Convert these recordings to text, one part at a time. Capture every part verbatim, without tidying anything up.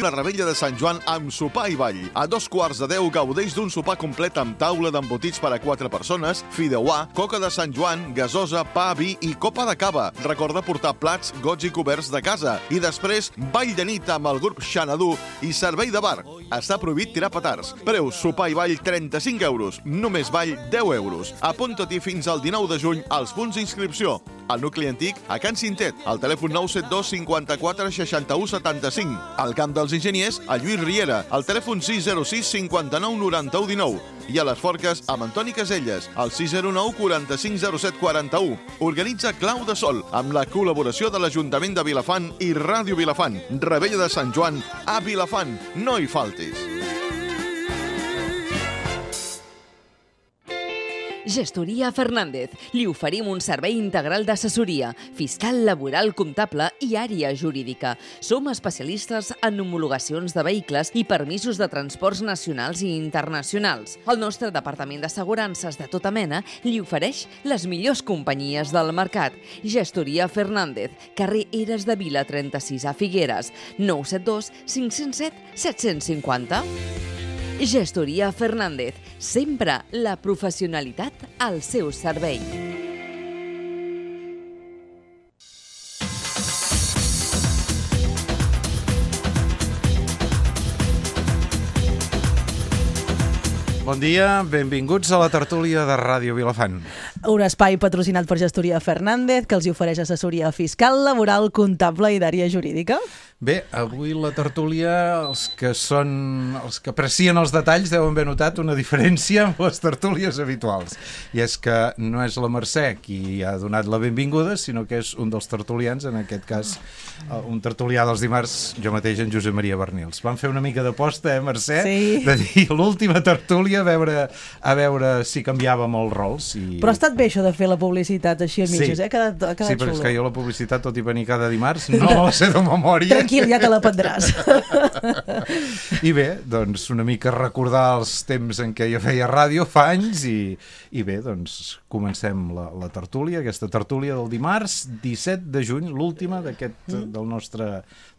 La Revetlla de Sant Joan amb sopar i ball. A dos quarts de deu gaudeix d'un sopar complet amb taula d'embotits per a quatre persones, fideuà, coca de Sant Joan, gasosa, pa, vi i copa de cava. Recorda portar plats, gots i coberts de casa. I després, ball de nit amb el grup Xanadu i servei de bar. Està prohibit tirar petards. Preu sopar i ball trenta-cinc euros. Només ball deu euros. Apunta-t'hi fins al dinou de juny als punts d'inscripció. Al nucli antic, a Can Cintet, al telèfon nou set dos cinquanta-quatre seixanta-u setanta-cinc. Al Camp dels Enginyers, a Lluís Riera, al telèfon sis zero sis cinquanta-nou noranta-u dinou. I a les Forques, amb Antoni Caselles, al sis zero nou quaranta-cinc zero set quaranta-u. Organitza Clau de Sol, amb la col·laboració de l'Ajuntament de Vilafant i Ràdio Vilafant. Revetlla de Sant Joan a Vilafant. No hi faltis. Gestoria Fernández. Li oferim un servei integral d'assessoria, fiscal, laboral, comptable i àrea jurídica. Som especialistes en homologacions de vehicles i permisos de transports nacionals i internacionals. El nostre departament d'assegurances de tota mena li ofereix les millors companyies del mercat. Gestoria Fernández, carrer Eres de Vila trenta-sis a Figueres, nou set dos cinc zero set set cinc zero. Gestoria Fernández, sempre la professionalitat al seu servei. Bon dia, benvinguts a la tertúlia de Ràdio Vilafant. Un espai patrocinat per Gestoria Fernández que els ofereix assessoria fiscal, laboral, comptable i d'àrea jurídica. Bé, avui la tertúlia, els que són, els que aprecien els detalls deuen haver notat una diferència amb les tertúlies habituals. I és que no és la Mercè qui ha donat la benvinguda, sinó que és un dels tertulians, en aquest cas un tertulià dels dimarts, jo mateix, en Josep Maria Bernils. Vam fer una mica d'aposta, eh, Mercè? Sí. De dir l'última tertúlia a veure, a veure si canviàvem els rols. I... Però ha estat bé això de fer la publicitat així a mitges, sí. eh? Ha quedat, ha quedat sí, però xulo. és que jo la publicitat, tot i venir cada dimarts, no la sé de memòria. Tranquil, ja te la prendràs. I bé, doncs una mica recordar els temps en què jo feia ràdio fa anys i, i bé, doncs comencem la, la tertúlia, aquesta tertúlia del dimarts disset de juny, l'última d'aquest mm. del nostre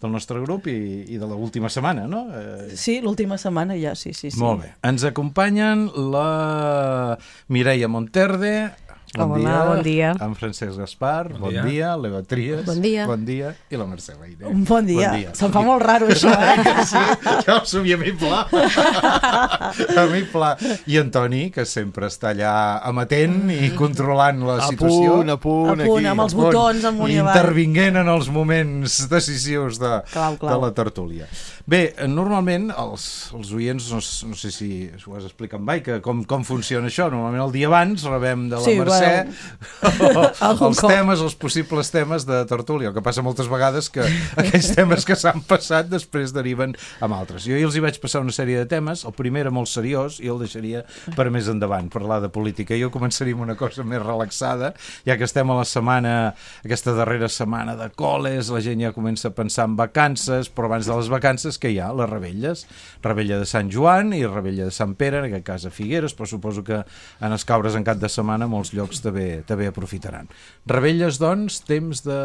del nostre grup i, i de l'última setmana, no? Eh... Sí, l'última setmana ja, sí, sí, sí. Molt bé. Ens acompanyen la Mireia Monterde. Bon Hola, dia. bon dia. En Francesc Gaspar, bon, bon dia. dia. L'Eva Trias, bon dia. Bon dia. I la Mercè Leire. Un bon dia. Bon dia. Se'm fa molt raro, això, eh? Sí, jo soy a mi pla. A mi pla. I Antoni, que sempre està allà amatent i controlant la a situació. Punt, a punt, a punt, aquí. amb els botons, amunt i avall. Intervinguent en els moments decisius de, clau, clau. de la tertúlia. Bé, normalment, els, els oients, no, no sé si ho has explicat mai, que com, com funciona això. Normalment el dia abans rebem de la sí, Mercè bueno. els temes, els possibles temes de tertúlia. El que passa moltes vegades que aquells temes que s'han passat després deriven amb altres. Jo ahir els hi vaig passar una sèrie de temes. El primer era molt seriós i el deixaria per més endavant, parlar de política. Jo començaria amb una cosa més relaxada, ja que estem a la setmana, aquesta darrera setmana de col·les, la gent ja comença a pensar en vacances, però abans de les vacances que hi ha? Les Rebelles. Rebella de Sant Joan i Rebella de Sant Pere, en aquest cas a Figueres, però suposo que en els caures en cap de setmana molts llocs també, també aprofitaran. Rebelles, doncs, temps de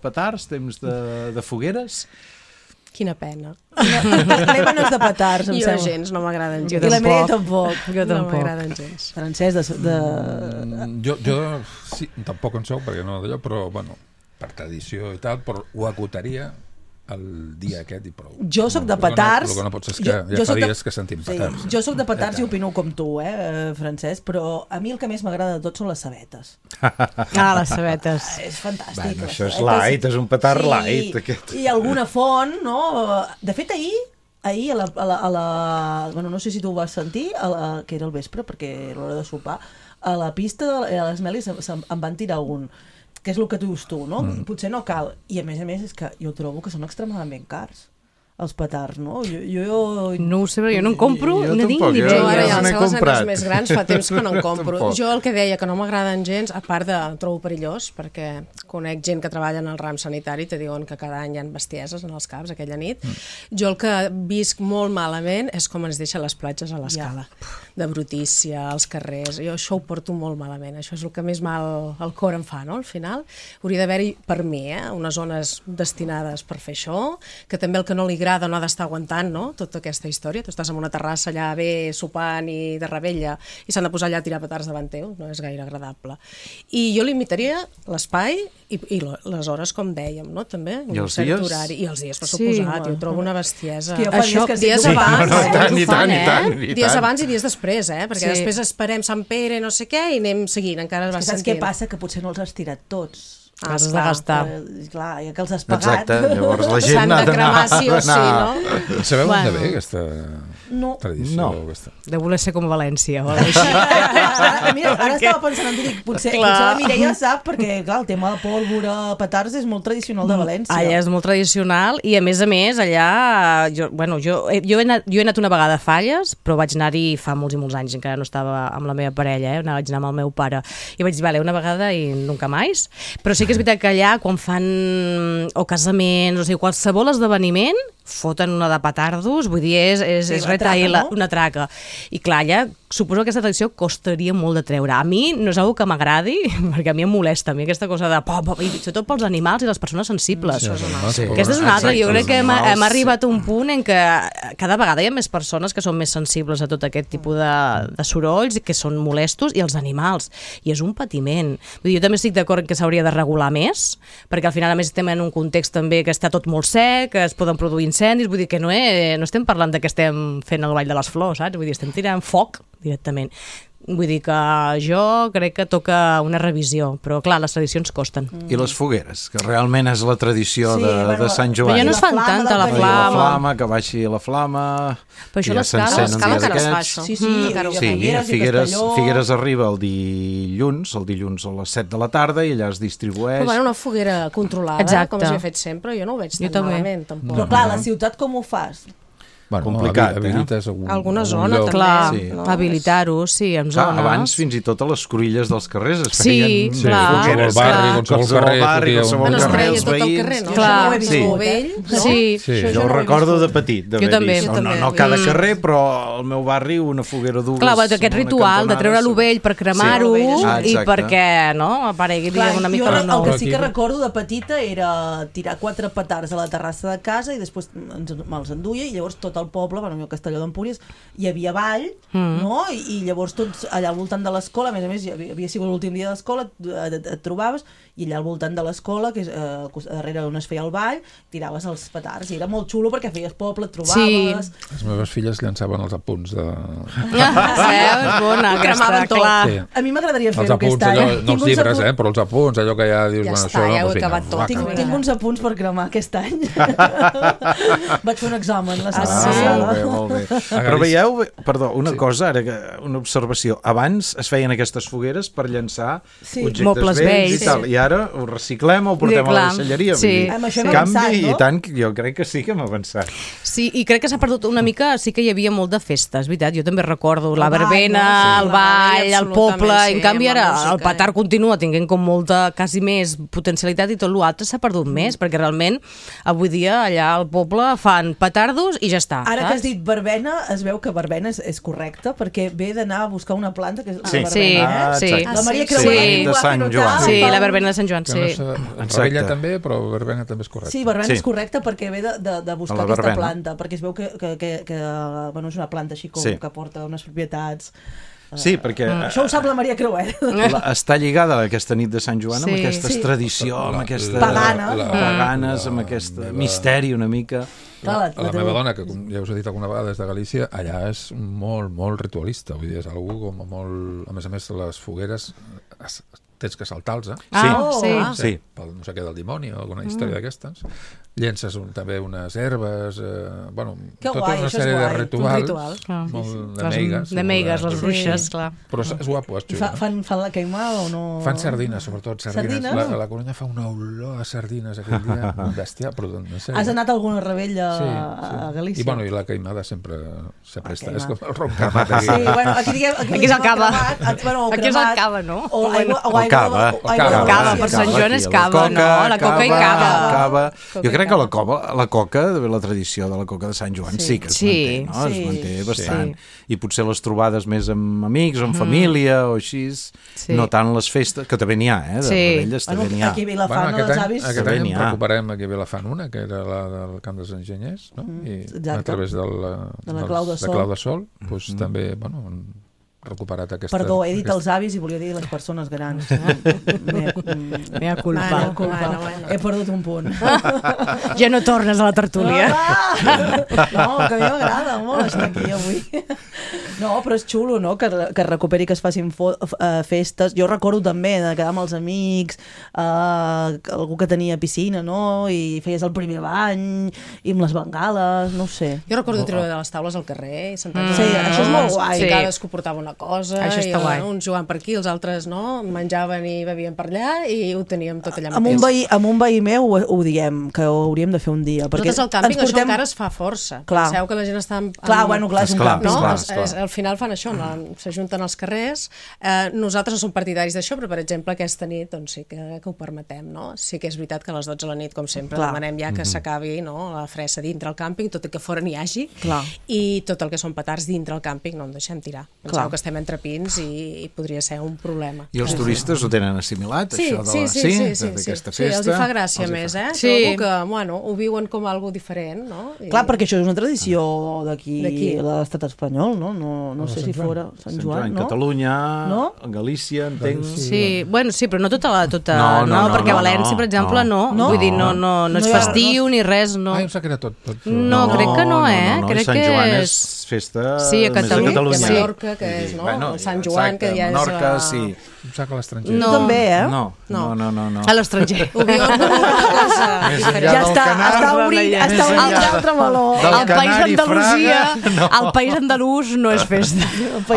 petards, temps de, de fogueres? Quina pena. L'Eva no és de petards, em jo sembla. gens, no m'agraden gens. I la Mireia tampoc. Jo tampoc. No m'agraden gens. Francesc, de... de... Mm, jo, jo sí, tampoc en soc, perquè no d'allò, però, bueno, per tradició i tal, però ho acotaria el dia aquest i prou. Jo sóc de petards. El que no pots és que jo, ja jo fa de... dies que sentim petards. Sí, jo sóc de petards i opino com tu, eh, Francesc, però a mi el que més m'agrada de tot són les sabetes. Ah, les sabetes. És fantàstic. Bueno, això és light, és un petard sí, light. Aquest. I alguna font, no? De fet, ahir, ahir a la, a la, a la... Bueno, no sé si tu ho vas sentir, a la, que era el vespre, perquè era l'hora de sopar, a la pista de les Melis em, em van tirar un... que és el que tu dius tu, no? Mm. Potser no cal. I a més a més és que jo trobo que són extremadament cars, els petards, no? Jo, jo... No ho sé, però jo no en compro, jo no tinc tampoc, ni jo idea. no Ara n'he ja els seus comprat. anys més grans fa temps que no en compro. Tampoc. Jo el que deia que no m'agraden gens, a part de trobo perillós, perquè conec gent que treballa en el ram sanitari i te diuen que cada any hi ha bestieses en els caps aquella nit. Mm. Jo el que visc molt malament és com ens deixen les platges a l'escala. Ja. De brutícia, als carrers. Jo això ho porto molt malament. Això és el que més mal al cor em fa, no? Al final hauria d'haver-hi, per mi, eh, unes zones destinades per fer això, que també el que no li agrada no ha d'estar aguantant, no?, tota aquesta història. Tu estàs en una terrassa allà bé sopant i de rebella i s'han de posar allà a tirar petards davant teu. No és gaire agradable. I jo limitaria l'espai i, i les hores, com dèiem, no?, també. I els dies? Horari. I els dies, per Sí, suposat. Jo trobo una bestiesa. És que jo fa dies que dies sí, abans, no, no, i tant, i tant, eh? i tant, i Dies tant. abans i dies després, eh? Perquè Sí. després esperem Sant Pere, no sé què, i anem seguint, encara es va És que saps sentint. què passa? Que potser no els has tirat tots. Ah, Has de esclar. gastar. Eh, clar, ja que els has pagat... Exacte, llavors la gent S'han ha de d'anar... cremar sí o sí, d'anar- no? Sabeu Bueno. on ve aquesta No. tradició? No. Aquesta? De voler ser com València o alguna cosa així. Ara, mira, ara estava pensant en dir, potser, Clar. potser la Mireia sap, perquè clar, el tema de pólvora, petards és molt tradicional de València. Allà és molt tradicional i a més a més allà jo, bueno, jo, jo, he anat, jo he anat una vegada a Falles, però vaig anar-hi fa molts i molts anys, encara no estava amb la meva parella, eh? Vaig anar amb el meu pare i vaig dir, vale, una vegada i nunca més, però sí que és veritat que allà quan fan o casaments, o sigui, qualsevol esdeveniment foten una de petardos, vull dir, és, és, Sí, és una retair traca, no? una traca. I clar, allà suposo que aquesta tradició costaria molt de treure. A mi no és una que m'agradi, perquè a mi em molesta, a mi aquesta cosa de pop, pop, i sobretot pels animals i les persones sensibles. Sí, Sí. Aquesta és una altra. Jo Exacte, crec que els hem, animals, hem arribat a un punt en què cada vegada hi ha més persones que són més sensibles a tot aquest tipus de, de sorolls, que són molestos, i els animals. I és un patiment. Vull dir, jo també estic d'acord que s'hauria de regular més, perquè al final a més estem en un context també que està tot molt sec, que es poden produir incendis, vull dir que no, he, no estem parlant de que estem fent el ball de les flors, saps? Vull dir, estem tirant foc directament. Vull dir que jo crec que toca una revisió, però clar, les tradicions costen. I les fogueres, que realment és la tradició Sí, de, bueno, de Sant Joan. Però ja no es fan La flama tanta la del I la flama. flama, que baixi la flama... Però això i ja l'escala- s'encén un l'escala dia encara es fa, d'aquests. això. Sí, sí, Mm, i encara ho a Sí, a Figueres, i Figueres, Castelló. Figueres arriba el dilluns, el dilluns a les set de la tarda, i allà es distribueix. Però bueno, una foguera controlada, Exacte. com s'havia fet sempre, jo no ho veig Jo tan també. malament, tampoc. Però clar, a la ciutat com ho fas? Bueno, Complicat, habi- habilites algun, Alguna algun zona, lloc. també. Clar, Sí. No? habilitar-ho, sí, en Clar, zones. abans fins i tot a les cruïlles dels carrers es Sí, feien Sí, clar, qualsevol fogueres, barri, clar. qualsevol Qualsevol carrer, barri, fotia un- qualsevol Bueno, es carrer, treia els tot el veïns. carrer, no? Clar. Jo no ho he Sí. viscut, eh? No? Sí, Sí. Això Jo ho no ho he recordo viscut. de petit, d'haver Jo també. vist. Jo No, no, també. no cada Mm. carrer, però al meu barri una foguera dues. Clar, aquest en una ritual de cantonada, treure sí. l'ovell per cremar-ho Sí. Ah, i exacte. perquè, no?, aparegui Clar, diguem, una mica jo la el nou. que sí que Aquí- recordo de petita era tirar quatre petards a la terrassa de casa i després ens, me'ls enduia i llavors tot el poble, bueno, a Castelló d'Empúries, hi havia ball, Mm. no? I, I llavors tots allà al voltant de l'escola, a més a més, havia, havia sigut l'últim dia de l'escola, et, et, et trobaves, i allà al voltant de l'escola, que és eh, darrere on es feia el ball, tiraves els petards, i era molt xulo perquè feies poble, et trobaves... Les meves filles llançaven els apunts de... Ah, és bona aquesta, cremaven tot. clar. Sí. A mi m'agradaria Els fer-ho aquest apunts, any. allò, no Tinc els uns llibres, apunts- eh, però els apunts, allò que ja dius, Ja bueno, està, això no, ja ho he doncs vinga, acabat tot. va, Tinc, que- tinc uns apunts per cremar aquest any. Vaig fer un examen la setmana sí? passada. Molt bé, molt bé. Però veieu, perdó, una sí. cosa, ara que una observació. Abans es feien aquestes fogueres per llançar Sí. objectes Mobles vells, vells. i tal, i ara ho reciclem o ho portem Sí, a la clar. deixalleria. Sí. Vull dir, Amb això hem canvi, avançat, no? i tant, que jo crec que sí que hem avançat. Sí, i crec que s'ha perdut una mica, sí que hi havia molt de festes, veritat, jo també recordo la El ball, verbena, no? el Sí. ball, el Absolutament, poble, sí, en canvi amb la ara música, el petard eh? continua tinguent com molta, quasi més potencialitat i tot l'altre s'ha perdut més, perquè realment avui dia allà al poble fan petardos i ja està. Ara que saps? has dit verbena, es veu que verbena és, és correcte, perquè ve d'anar a buscar una planta que és Sí. la verbena, Sí, eh? Ah, sí. exacte. La Maria Sí. Creuer Sí. ho va De Sant fer Joan. notar. Sí, pel- la verbena de Sant Joan, Que sí. no sé, Exacte. Rebella també, però verbena també és correcte. Sí, verbena Sí. és correcte perquè ve de, de, de buscar De la aquesta verbena. planta, perquè es veu que, que, que, que bueno, és una planta així com Sí. que porta unes propietats. Sí, perquè Mm. eh, Això ho sap la Maria Creuer. la, està lligada aquesta nit de Sant Joan amb Sí. aquestes Sí. tradició, amb La- aquesta... Pagana. la- Paganes, la- amb aquest la meva- misteri una mica. Clar, La, la- la, la teva- meva dona, que com ja us he dit alguna vegada, és de Galícia, allà és molt, molt ritualista. Vull dir, és algú com molt... A més a més, les fogueres es, tens que saltar-los, eh? Ah, Sí. sí. Ah. Sí. Pel no sé què del dimoni o alguna història d'aquestes. llences un, també unes herbes, eh, bueno, Que tota guai, una això és sèrie de guai. rituals. Un ritual. Clar. Molt de Les- meigues. de meigues, les bruixes, Sí. clar. Però és, és guapo, és I xulo. fa, fan, fan la queimada o no? Fan sardines, sobretot sardines. Sardines? La, la Corunya fa una olor a sardines aquell dia, bestial, però en sèrio. Has anat a alguna rebella Sí, a sí. Galícia? I, bueno, i la queimada sempre, sempre La està. queimada. És com el ron cremat aquí. Sí, bueno, aquí, diguem, aquí, Aquí és el cava. Cremat, bueno, o Aquí és el cremat, cava, no? O aigua, o O aigua, cava. o aigua de O cava, Galícia. per Sant Joan és aquí, cava, no? La coca i cava. cava. Coca Jo i crec que la, cava. cova, la coca, la tradició de la coca de Sant Joan sí, Sí. que es Sí. manté, no? Sí. Es manté bastant. Sí. I potser les trobades més amb amics o amb família o així, Sí. no tant les festes, que també n'hi ha, eh? De Sí. rebelles també Bueno, n'hi ha. aquí a Vilafant, Bueno, bueno, aquest els any, avis... aquest També any n'hi en ha. recuperem aquí a Vilafant una, que era la del Camp dels Enginyers, no? I exacte. a través del, De la dels- Clau de Sol. Clau de Sol, doncs també, bueno, han recuperat aquesta... Perdó, he dit aquesta- els avis i volia dir les persones grans. Mea, mm, Mea culpa. Bueno, culpa. bueno, bueno. He perdut un punt. Ja no tornes a la tertúlia. Ah! No, que a mi m'agrada molt estar aquí avui. No, però és xulo, no?, que, que es recuperi, que es facin fo- uh, festes. Jo recordo també de quedar amb els amics, uh, algú que tenia piscina, no?, i feies el primer bany, i amb les bengales, no ho sé. Jo recordo treure de les taules al carrer i sentar-nos Sí, a les això és molt taules, guai. i Sí. cadascú portava una cosa, Això i està guai. uns jugant per aquí, els altres no, menjaven i bevien per allà i ho teníem tot allà Amb un, mateix. veí, amb un veí meu ho, ho diem, que ho hauríem de fer un dia. Perquè Nosaltres al càmping ens això encara es fa força. Clar. Penseu que la gent està... En, Clar, en- bueno, clar, és un Esclar, càmping. no? esclar, Es- esclar. es- al final fan això, no? S'ajunten als carrers. Eh, nosaltres no som partidaris d'això, però per exemple aquesta nit doncs sí que, que ho permetem, no? Sí que és veritat que a les dotze de la nit, com sempre, Clar. demanem ja que s'acabi, no?, la fressa dintre el càmping, tot i que fora n'hi hagi, Clar. i tot el que són petards dintre el càmping no en deixem tirar. Penseu Clar. que estem entre pins i, i podria ser un problema. I els turistes ho tenen assimilat, Sí, això de sí, la... sí, sí, sí, d'aquesta sí, festa? els hi fa gràcia Els hi més, fa. eh? Sí. Trobo que, bueno, ho viuen com algo diferent, no? I... Clar, perquè això és una tradició d'aquí, D'aquí. de l'estat espanyol, no? No, no sé si fora Sant Joan, Sant Joan, no? Catalunya, No? Galícia, entenc... Sí, bueno, sí, però no tota la... Tota, No, no, no, perquè no, a València, no, per exemple, no. no. Vull dir, no, no, no és No hi ha- festiu ni res, no. Ah, em sap que era tot. tot No, crec que no, eh? No, no, Crec Sant que Joan és- és festa Sí, a més Catalunya. a Catalunya. I a Mallorca, que és, Sí, no? El Sant Joan, que ja és, Menorca, eh, sí. Em sap que a l'estranger. No. Tu també, eh? No, no, no, no. no. A l'estranger. Ho viuen com una cosa Més diferent. enllà Ja del està, canal, està obrint, Més està obrint enllà l'altre meló. del El País Canari, Andalusia, Fraga, el País Andalús no és festa.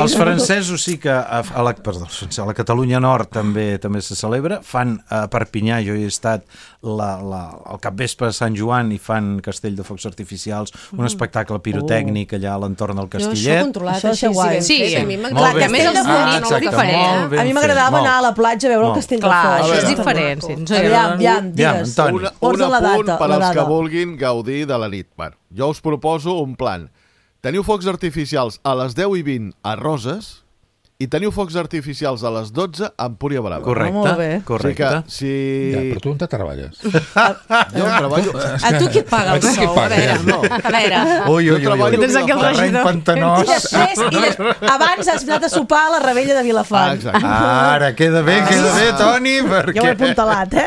Els francesos sí que a, a, la, perdó, a la Catalunya Nord també també se celebra. Fan a Perpinyà, jo hi he estat la, la, el capvespre de Sant Joan i fan castell de focs artificials, un espectacle pirotècnic allà a l'entorn del Jo això Castillet. controlat, Això així, és guai. ben Sí, fet, a mi molt m'agrada. bé. a més els Ah, bonics exacte, és diferent. molt ben A mi fet, m'agradava molt. anar a la platja a veure el Molt. castell Clar, de això focs. és veure. diferent. Sí, ens Aviam, agrada. aviam, Aviam, digues. Antoni. Una, Posa un la apunt data, per la als que data. vulguin gaudir de la nit. Bueno, jo us proposo un plan. Teniu focs artificials a les deu i vint a Roses i teniu focs artificials a les dotze a Empúria Brava. Correcte, Molt bé. correcte. O sigui que, si... Ja, però tu on te treballes? Jo treballo... A tu qui et paga el A tu qui et sou? A paga, veure, ja, no. a veure. Ui, ui, ui, treballo ui. Tens aquí el Terreny regidor. I pantanós. després, i des... abans has anat a sopar a la rebella de Ah, Vilafant. exacte. Ara, queda bé, queda bé, Toni, perquè... Ja ho he apuntalat, eh?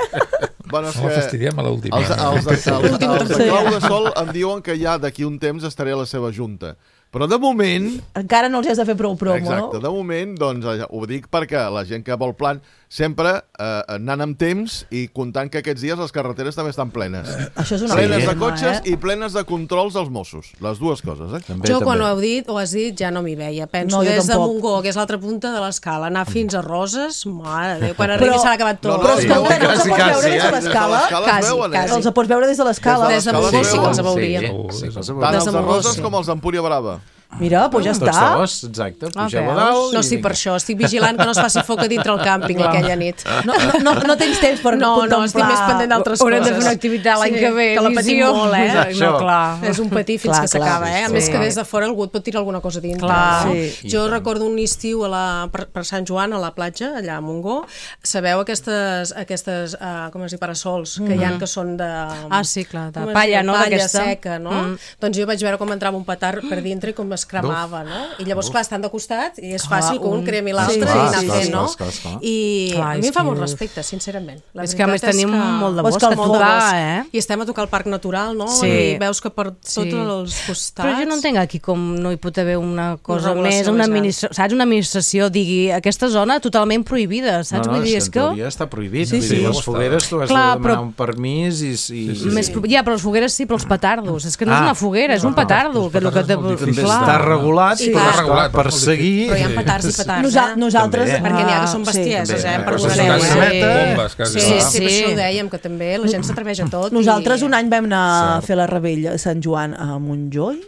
Bueno, és No que fastidiem a l'última. els, els, de, els, els de Sí. Clau de Sol em diuen que ja d'aquí un temps estaré a la seva junta. Però de moment... Encara no els has de fer prou promo, Exacte, no? de moment, doncs, eh, ho dic perquè la gent que vol plan sempre eh, anant amb temps i comptant que aquests dies les carreteres també estan plenes. Això és una Plenes de problema, cotxes eh? i plenes de controls dels Mossos. Les dues coses, eh? També, Jo quan també. ho heu dit, ho has dit, ja no m'hi veia. Penso No, jo des de tampoc. Montgó, que és l'altra punta de l'escala, anar fins a Roses, mare de Déu, quan arribi Però- s'ha acabat tot. No, no, Però sí, escolta, no els quasi, pots veure quasi, des de eh? l'escala? Des de l'escala es Quasi, veuen, eh? quasi. Els pots veure des de l'escala? Des de Montgó sí que els veuríem. Sí, sí, que els Tant veuríem. Des els de de Montgó, Roses sí. com els d'Empúria Brava. Mira, doncs ja Tots està. dos, exacte. Ah, Pugeu a veus? dalt No, i sí, per vinga. això. Estic vigilant que no es faci foc a dintre el càmping aquella nit. No, no, no, no tens temps per No, no, contemplar... estic més pendent d'altres coses. Haurem de fer una activitat l'any Sí, que ve. que la patim visió. molt, eh? No, Això. clar. És un patir fins Clar, que clar, s'acaba, eh? A sí, més sí. que des de fora algú et pot tirar alguna cosa dintre. Clar. no? Sí. Jo recordo un estiu a la, per, per Sant Joan, a la platja, allà a Montgó. Sabeu aquestes, aquestes uh, com es diu, parasols que hi ha que són de... Ah, sí, clar, de com es palla, diu? no? Palla D'aquesta. seca, no? Mm. Doncs jo vaig veure com entrava un petard per dintre i com es es cremava, no? I llavors, clar, estan de costat i és fàcil que un un- cremi l'altre Sí, i sí, anar sí, fent, sí. no? Clar, clar, clar. I Clar, a mi és em fa que- molt respecte, sincerament. La És que a més veritat és tenim que- molt de És bosc que a el molt de tocar, bosc. eh? I estem a tocar el Parc Natural, no? Sí. I veus que per tots Sí. els costats... Però jo no entenc aquí com no hi pot haver una cosa regulació més, una més gran. administració, saps? Una administració digui aquesta zona totalment prohibida, saps? No, no, Vull dir, és és que que... en teoria està prohibit. Sí, Vull sí. dir, les fogueres tu has Clar, de demanar però- un permís i... i sí, sí. Més, ja, però les fogueres sí, però els petardos. És que no és Ah. una foguera, és un petardo. els Que, el que petards te... és molt difícil. També Clar. està regulat, Sí, però clar. està Regulat, per molt seguir... Però hi ha petards i petards, Nosa eh? nosaltres... També. Perquè n'hi ha que són Ah, bestieses, sí. eh? També. Perdonareu, Una eh? cassameta. Bombes, quasi. Sí, clar. sí, per sí. això ho dèiem, que també la gent s'atreveix a tot. Nosaltres i... un any vam anar a Cert. fer la rebella a Sant Joan a Montjoi,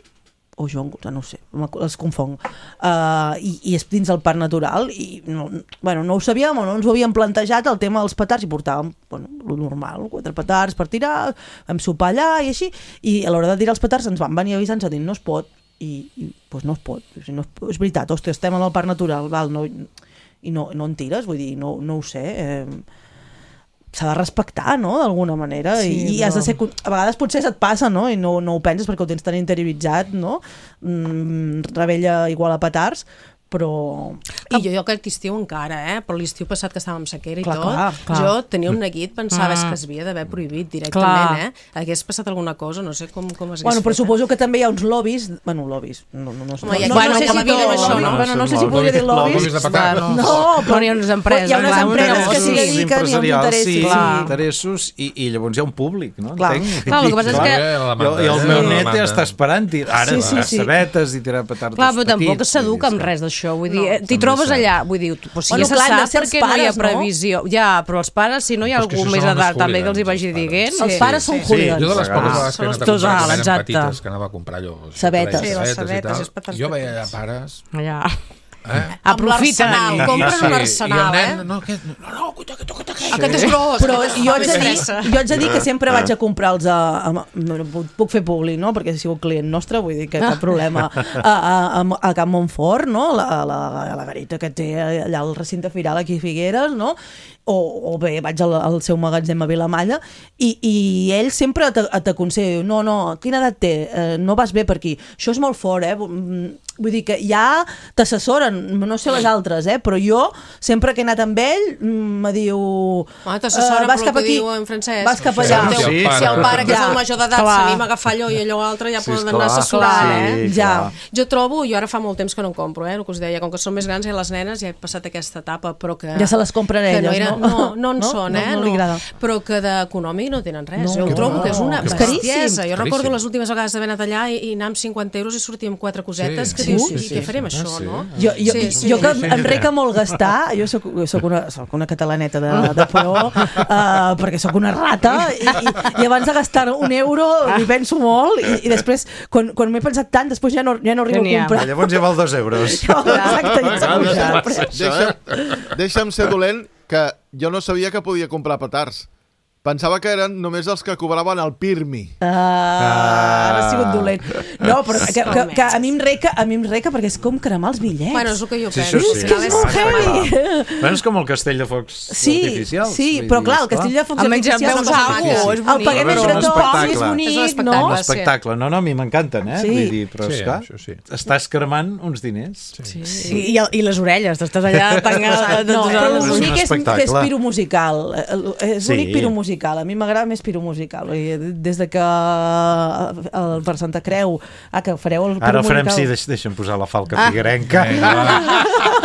o Joan, no ho sé, els confong, uh, i, i és dins el parc natural, i no, bueno, no ho sabíem, o no ens ho havíem plantejat, el tema dels petards, i portàvem, bueno, lo normal, quatre petards per tirar, vam sopar allà i així, i a l'hora de tirar els petards ens van venir avisant, dir, no es pot, i, i pues no es pot, o sigui, no es, és veritat, hòstia, estem en el parc natural, val, no, i no, no en tires, vull dir, no, no ho sé, eh, s'ha de respectar, no?, d'alguna manera, Sí, i, i però- has de ser... A vegades potser se't passa, no?, i no, no ho penses perquè ho tens tan interioritzat, no?, mm, rebella igual a petards, però... I jo, jo aquest estiu encara, eh? Però l'estiu passat que estàvem amb sequera i Clar, tot, clar, clar. jo tenia un neguit, pensava Mm. que es havia d'haver prohibit directament, Clar. eh? Hagués passat alguna cosa, no sé com, com es hagués Bueno, però fet, suposo que també hi ha uns lobbies... Bueno, lobbies... No, no, no, Home, hi ha no, qui no no sé que si la viuen tot- això, no? Bueno, no sé si Lobbies- podria dir lobbies. lobbies de petards. Bueno, No, però hi ha unes empreses, hi ha unes clar, uns empreses que s'hi negocis. dediquen i uns empresarials, interessos. sí, Clar. interessos i, i llavors hi ha un públic, no? Clar. Entenc? Clar, el que passa és Clar. que- La I, demanda, I el eh? meu La net demanda. ja està esperant tir- ara Sí, sí, sí, sí, sí. sabetes i tirar petards Clar, però tampoc petits, s'educa vull amb dir, res d'això. Vull dir, No, eh, t'hi també trobes és cert. allà, vull dir, pues, sí, Bueno, ja clar, se han de sap ser els perquè no hi ha pares, no? previsió. Ja, però els pares, si no hi ha Però és que algú això més són els edat, també que els hi hooligans, vagi els dient. Els Sí. pares són sí. hooligans. Jo de les poques Ah, vegades que he són anat a els comprar, tosals, que eren exacte. petites, que anava a comprar allò... Sabetes. Sí, les i sabetes, tal, és petards jo veia petits. pares... Ja. Eh? Aprofiten. l'arsenal, compren un arsenal, i el eh? nen, no, aquest, no, no, cuita, cuita, cuita, cuita. Aquest és gros. Però aquest jo fa haig de dir, més pressa. jo haig de dir que sempre vaig a comprar-los a, a, no, puc- puc fer públic, no?, perquè he sigut client nostre, vull dir que cap problema, a, a, a, a Can Montfort, no?, la, la, la garita que té allà al recinte firal aquí a Figueres, no?, o, o bé vaig al, al seu magatzem a Vilamalla i, i ell sempre te- t'aconsella, no, no, quina edat té? Eh, no vas bé per aquí, això és molt fort, eh? Mm, vull dir que ja t'assessoren, no sé les altres, eh? Però jo sempre que he anat amb ell mm, me diu Ah, t'assessoren eh, vas per cap el que aquí, diu en Francesc. vas cap Sí, allà. sí, Si, el pare. si el pare, que és Ja. el major d'edat, Clar. s'anima a agafar allò i allò altre, ja Sí, poden esclar. anar assessorant, eh? Sí, Ja. clar. Jo trobo, jo ara fa molt temps que no en compro, eh, el que us deia, com que són més grans i les nenes ja he passat aquesta etapa, però que... Ja se les compren que no, elles, era, no? no, no en No? són, No, eh? no li agrada. Però que d'econòmic no tenen res. No. Jo ho trobo que és una És bestiesa. caríssim. Jo recordo Caríssim. les últimes vegades d'haver anat allà i, i anar amb cinquanta euros i sortir amb quatre cosetes Sí, que sí, dius, sí, i sí, què sí, farem sí, això, sí. no? Jo, jo, Sí, sí. jo que Sí, sí, em sí. reca molt gastar, jo soc, soc, una, soc una catalaneta de, de pro, uh, perquè sóc una rata, i, i, i abans de gastar un euro m'hi penso molt, i, i després, quan, quan m'he pensat tant, després ja no, ja no arribo Ja n'hi a ha. comprar. Llavors ja val dos euros. Exacte, ja s'ha pujat el preu. Deixa'm, deixa'm ser dolent, que jo no sabia que podia comprar petards. Pensava que eren només els que cobraven el Pirmi. Ah, ara ha sigut dolent. No, però que, que, que a mi em reca, a mi em reca perquè és com cremar els bitllets. Bueno, és el que jo Sí, penso. això al sí. final és molt heavy. Bueno, és com el castell de focs Sí, artificials. sí, vull però dir, clar, el esclar. castell de focs Almenys ja artificials veus no passa alguna res. cosa, és El bonic. paguem A veure, entre un tots, espectacle. és És un bonic, espectacle. no? Un espectacle. No, no, a mi m'encanten, eh? Sí. Vull dir, però Sí, esclar, això sí. estàs cremant uns diners. Sí. I, el- I les orelles, t'estàs allà tangant... No, però És un l'únic és, espectacle. que és piromusical. Eh, És Sí. l'únic piromusical. A mi m'agrada més piromusical. I des de que el, per Santa Creu ah, que fareu el Ara el farem, piromusical. sí, deix, deixa'm posar la falca figuerenca. Vinga, va.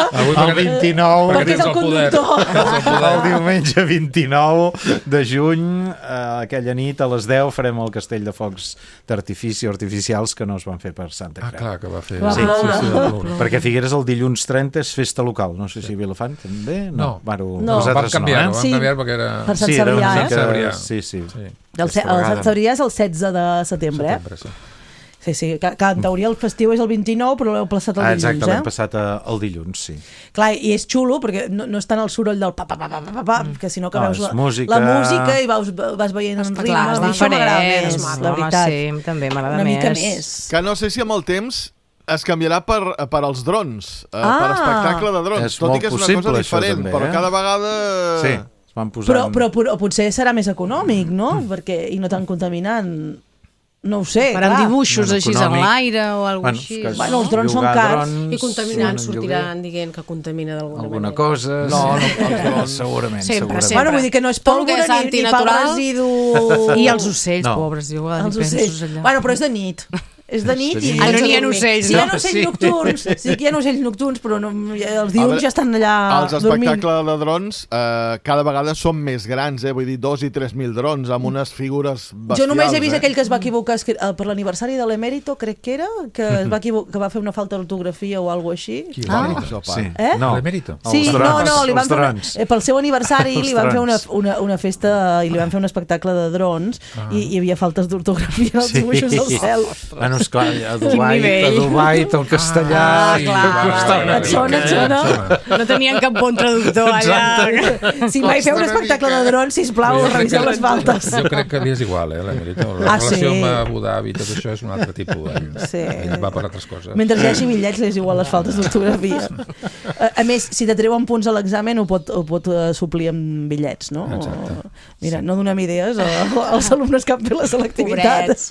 Avui El vint-i-nou, Perquè és el poder. conductor. Tens el poder. el diumenge vint-i-nou de juny, eh, aquella nit a les deu farem el castell de focs d'artifici artificials que no es van fer per Santa Ah, Creu. clar, que va fer... Va Sí, ploure. sí, sí, va ploure. perquè Figueres el dilluns trenta és festa local, no sé si Vilafant també, no, No. Bueno, No. Vam nosaltres canviar-ho, no, vam Sí. canviar perquè era... Per Sant sí, era una Cebrià, eh? mica... Sant Cebrià. Sí, sí. Sí. El, ce- Aquesta el vegada. Sant Cebrià és el setze de setembre, eh? Setembre, sí. Sí, sí, que, que en teoria el festiu és el vint-i-nou, però l'heu plaçat el Ah, dilluns, exacte, l'hem eh? passat a, el dilluns, sí. Clar, i és xulo, perquè no, no és tant el soroll del pa, pa, pa, pa, pa, pa, pa que sinó que No, veus és la música. la música i vas, vas veient en Està ritme. clar, a és mi això m'agrada diferent, més, és la maco, veritat. home, sí, també m'agrada Una més. mica més. Que no sé si amb el temps es canviarà per, per als drons, eh, Ah! per espectacle de drons, És tot i molt que és una possible, cosa això, diferent, també, però eh? cada vegada... Sí, es van posant... Però, però, però potser serà més econòmic, no? Perquè, i no tan contaminant. No ho sé, Faran clar. dibuixos Bueno, així econòmic. en l'aire o alguna Bueno, així. que- Bueno, els drons són Llogar cars. drons, I contaminant sí, sortiran dient que contamina d'alguna alguna manera. cosa. No, no, sí. els drons. segurament, Sempre, segurament. sempre. Bueno, vull dir que no és Tot el que pólvora és ni, ni fa el antinatural. residu... I els ocells, No. pobres, diu, ah, Els ni penses ocells. allà. Bueno, però és de nit. És de nit i... Ah, no n'hi ha ocells, Sí, hi ha no? ocells Sí. nocturns, sí que hi ha ocells nocturns, però no, els A diurns veure, ja estan allà Els dormint. espectacles de drons eh, cada vegada són més grans, eh? Vull dir, dos i tres mil drons amb unes figures bestials. Jo només he vist eh? aquell que es va equivocar es que, eh, per l'aniversari de l'Emèrito, crec que era, que, es va equivocar, que va fer una falta d'ortografia o alguna així. Qui Ah, va dir això, pa. Sí. Eh? No. L'emèrito? Sí, Els no, drons, no, li van els fer una, drons. eh, pel seu aniversari Els li van fer una, drons. una, una festa i li van fer un espectacle de drons Ah. i hi havia faltes d'ortografia als dibuixos del cel. Bueno, esclar, a Dubai, a nivell. Dubai, el castellà... Ah, clar. costa una Et sona, mica, et sona? No tenien cap bon traductor allà. Si mai feu un espectacle de drons, sisplau, Jo crec reviseu que- les faltes. Jo crec que li és igual, eh, l'emèrito. La Ah, relació sí? amb Abu Dhabi i tot això és un altre tipus. Ell, Sí. ell va per altres coses. Mentre hi hagi bitllets, li és igual les faltes d'ortografia. A, a més, si t'atreuen punts a l'examen, ho pot, ho pot uh, suplir amb bitllets, no? Exacte. O, mira, no donem idees a- als alumnes que han fet la selectivitat. Pobrets.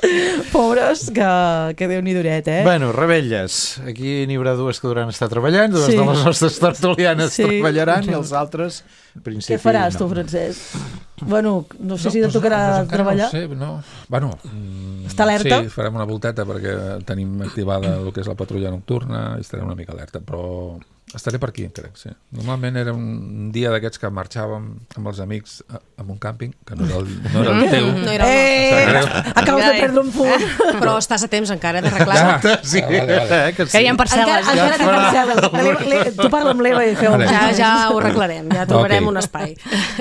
Pobres, que, que Déu n'hi duret, eh? Bueno, rebelles. Aquí n'hi haurà dues que duran estar treballant, dues Sí. de les nostres tertulianes Sí. treballaran i els altres, en principi, Què faràs, no. tu, Francesc? Bueno, no sé si doncs, et tocarà doncs encara treballar. No sé, no. Bueno, mm, Està alerta? Sí, farem una volteta perquè tenim activada el que és la patrulla nocturna i estarem una mica alerta, però estaré per aquí, crec, sí. Normalment era un dia d'aquests que marxàvem amb els amics a, a un càmping, que no era el, no era el teu. No era el Eh, nostre. acabes de perdre un punt. nostre. Però estàs a temps encara d'arreglar-ho. Ja, Sí, ah, vale, vale. eh, que sí. Que hi ha Encara, parcel·les. encara té parcel·les. L'Eva- l'Eva- Tu parla amb l'Eva i feu... Vale. Ja, ja ho arreglarem, ja trobarem Ok. un espai.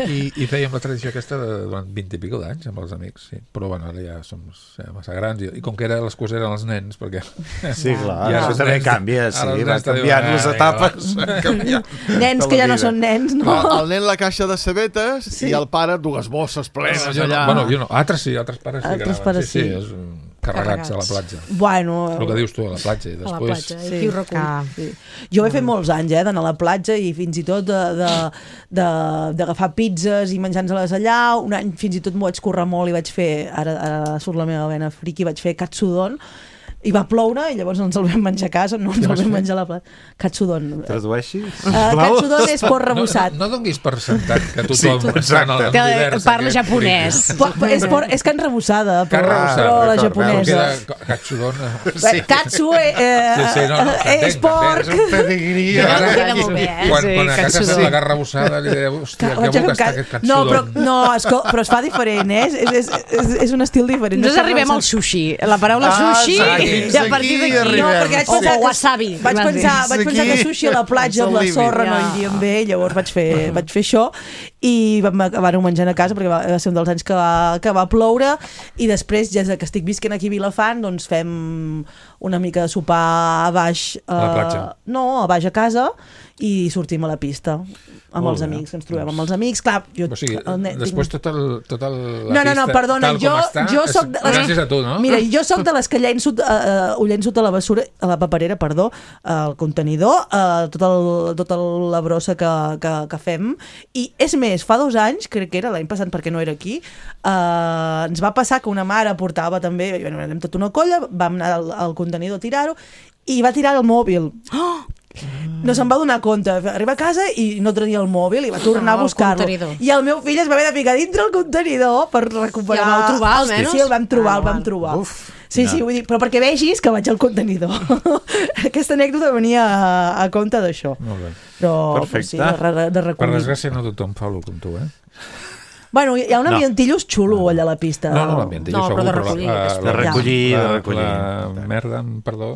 I, i fèiem la tradició aquesta de, durant vint i pico d'anys amb els amics, sí. Però bueno, ara ja som ja massa grans i, i com que era l'excusa eren els nens, perquè... Sí, clar, I ara això els també nens- canvia, ara sí, els va nens te diuen, canviant "Ah, les vinga, etapes. va." van canviant Nens de que la ja no vida. són nens, no? El, el nen la caixa de cebetes sí. i el pare dues bosses plenes Jo no, allà. bueno, jo no, altres sí, altres pares sí. Altres que anaven. pares sí, sí. sí. És, um, carregats, a la platja. Bueno... El que dius tu, a la platja. I A la després... platja, i qui ho recull? Ah. Sí. Jo ho he fet molts anys, eh, d'anar a la platja i fins i tot de- de- de- d'agafar pizzas i menjar-les allà. Un any fins i tot m'ho vaig currar molt i vaig fer, ara, ara surt la meva vena friqui, vaig fer katsudon i va ploure i llavors no ens el vam menjar a casa, no ens el vam menjar a la platja. Katsudon. Tradueixi, Uh, sisplau. katsudon és porc No, rebussat. no, no donguis per sentat que tothom Sí, sí, exacte. Que parla japonès. Po- és, por, és carn rebussada, però, Carn rebussada, però la d'acord, japonesa. Katsudon... Sí. Katsu eh, Sí, sí, no, no, eh, és t'entenc, porc. És un pedigrí. I ara, queda molt bé, eh? quan, Sí, quan a casa katsudon. fem la carn rebussada li deia, hòstia, que Vaig a fer bo un que està ca- aquest no, katsudon. però, no, escol, però es fa diferent, eh? És, és, és, és un estil diferent. Nosaltres està arribem al rebussat. sushi. La paraula Ah, sushi, sí, i a partir aquí d'aquí... arribem. No, perquè vaig O, pensar o que, wasabi. vaig vas dir. pensar, vaig pensar que Aquí sushi a la platja amb la és el sorra límit. no Ja. iria bé, llavors vaig fer, vaig fer això i vam acabar-ho menjant a casa perquè va, va ser un dels anys que va, que va ploure i després, ja que estic visquent aquí a Vilafant, doncs fem una mica de sopar a baix A la platja. no, a baix a casa i sortim a la pista amb Molt els bé. amics, que ens trobem amb els amics, clar, jo... O sigui, el net- després tot el, tot el, la no, no, no, pista, perdona, tal jo, com està, jo és soc de gràcies a tu, no? Mira, jo soc de les que llenço, uh, uh, ho llenço a la bessura, a la paperera, perdó, al contenidor, uh, tota el, tota la brossa que, que, que fem, i és més, fa dos anys, crec que era l'any passat perquè no era aquí, uh, ens va passar que una mare portava també, bueno, érem tota una colla, vam anar al, al contenidor a tirar-ho, i va tirar el mòbil. Oh! No se'n va donar compte. Arriba a casa i no tenia el mòbil i va tornar Ah, a el buscar-lo. contenidor. I el meu fill es va haver de ficar dintre el contenidor per recuperar... I el vau trobar, almenys? Sí, el vam trobar, Ah, el vam val. trobar. Uf, sí, no. sí, vull dir, però perquè vegis que vaig al contenidor. Aquesta anècdota venia a, a compte d'això. Molt bé. Però, Perfecte. sí, de, de, de Per recollir. desgràcia no tothom fa el com tu, eh? Bueno, hi ha un No. ambientillo xulo allà a la pista. No, no, l'ambient, No, jo però segur, de recollir, la, és la, De recollir, la, de recollir. La merda, amb perdó,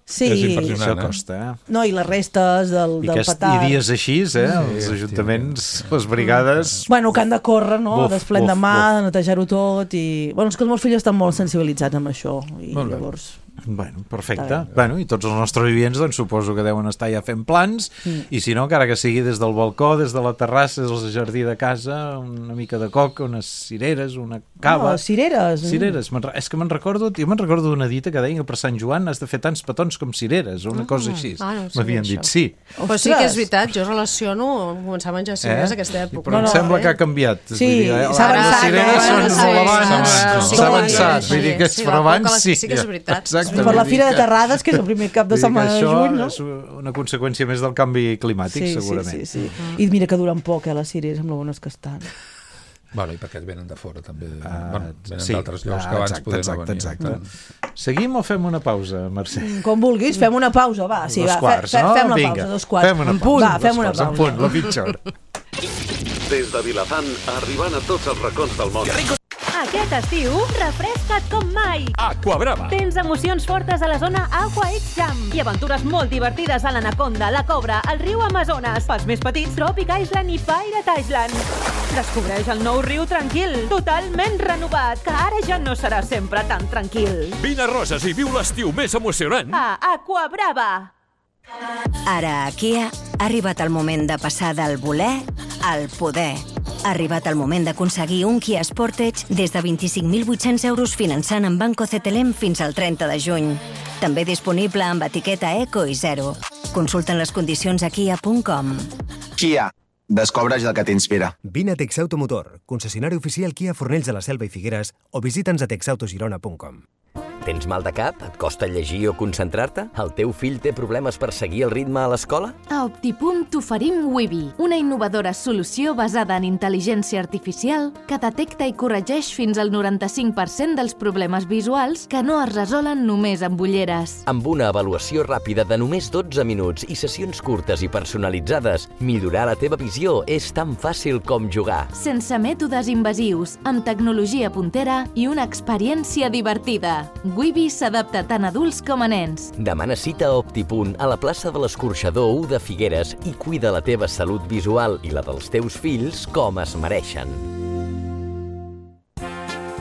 Sí, és impressionant. Això eh? costa, eh? no, i les restes del, I, del aquest, petard. I dies així, eh? Els ajuntaments, les brigades... Bueno, que han de córrer, no? Buf, Desplent de buf, mà, buf. de netejar-ho tot i... Bueno, és que els meus fills estan molt sensibilitzats amb això i Molt bé. llavors... Bueno, perfecte. Bueno, i tots els nostres oients doncs, suposo que deuen estar ja fent plans mm. i si no, encara que sigui des del balcó, des de la terrassa, des del jardí de casa, una mica de coca, unes cireres, una cava... Oh, cireres! Cireres. És que me'n recordo, jo me'n recordo d'una dita que deia que per Sant Joan has de fer tants petons com cireres, o una ah, cosa així. Ah, no m'havien dit, sí. Però sí que és veritat, jo relaciono començar a menjar cireres eh? aquesta època. Però em no, sembla eh? que ha canviat. Sí, s'ha avançat. Les cireres són molt abans, s'ha avançat. Vull dir que però abans sí. Sí que és veritat. Per la Fira de Terrades, que és el primer cap de setmana de juny, no? Això és una conseqüència més del canvi climàtic, sí, segurament. Sí, sí, sí. Uh -huh. I mira que duren poc, eh, les cireres, amb lo bones que estan. Bueno, i perquè venen de fora, també. Uh, bueno, venen sí. d'altres llocs ah, que abans poder no venir. Exacte. Mm. Seguim o fem una pausa, Mercè? Com vulguis, fem una pausa, va. Sí, dos va, quarts, fe, fe, no? Fem la Vinga, pausa, dos quarts. Fem una pausa. Va, fem una pausa. En punt, la mitja hora. Des de Vilafant, arribant a tots els racons del món. Aquest estiu, refresca't com mai. Aquabrava. Tens emocions fortes a la zona Aqua X Jam i aventures molt divertides a l'Anaconda, la Cobra, el riu Amazones, pels més petits, Tropic Island i Pirate Island. Descobreix el nou riu tranquil, totalment renovat, que ara ja no serà sempre tan tranquil. Vine a Roses i viu l'estiu més emocionant. A Aquabrava. Ara a Kia ha arribat el moment de passar del voler al poder. Ha arribat el moment d'aconseguir un Kia Sportage des de vint-i-cinc mil vuit-cents euros finançant en Banco C T L M fins al trenta de juny. També disponible amb etiqueta Eco i Zero. Consulten les condicions a kia punt com. Kia. Descobreix el que t'inspira. Vine a Texauto Motor, concessionari oficial Kia Fornells de la Selva i Figueres, o visita'ns a texautogirona punt com. Tens mal de cap? Et costa llegir o concentrar-te? El teu fill té problemes per seguir el ritme a l'escola? A Optipunt t'oferim Wibi, una innovadora solució basada en intel·ligència artificial que detecta i corregeix fins al noranta-cinc per cent dels problemes visuals que no es resolen només amb ulleres. Amb una avaluació ràpida de només dotze minuts i sessions curtes i personalitzades, millorar la teva visió és tan fàcil com jugar. Sense mètodes invasius, amb tecnologia puntera i una experiència divertida. Wibi s'adapta tant a adults com a nens. Demana cita a Optipunt a la plaça de l'Escorxador u de Figueres i cuida la teva salut visual i la dels teus fills com es mereixen.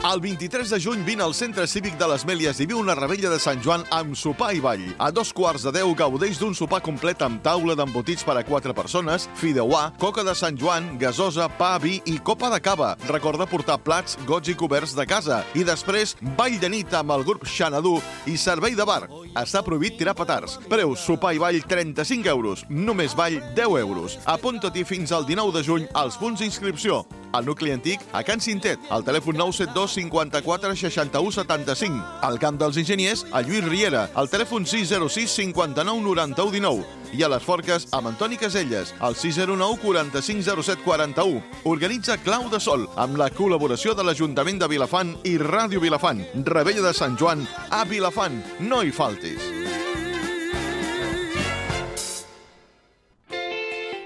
El vint-i-tres de juny vine al Centre Cívic de les Mèlies i viu una rebella de Sant Joan amb sopar i ball. A dos quarts de deu gaudeix d'un sopar complet amb taula d'embotits per a quatre persones, fideuà, coca de Sant Joan, gasosa, pa, vi i copa de cava. Recorda portar plats, gots i coberts de casa. I després, ball de nit amb el grup Xanadu i servei de bar. Està prohibit tirar petards. Preu sopar i ball trenta-cinc euros. Només ball deu euros. Apunta-t'hi fins al dinou de juny als punts d'inscripció. Al nucli antic, a Can Cintet, al telèfon nou set dos cinquanta-quatre seixanta-u setanta-cinc. Al Camp dels Enginyers, a Lluís Riera, al telèfon sis zero sis cinquanta-nou noranta-u dinou. I a les Forques, amb Antoni Caselles, al sis zero nou quaranta-cinc zero set quaranta-u. Organitza Clau de Sol, amb la col·laboració de l'Ajuntament de Vilafant i Ràdio Vilafant. Rebella de Sant Joan a Vilafant. No hi faltis.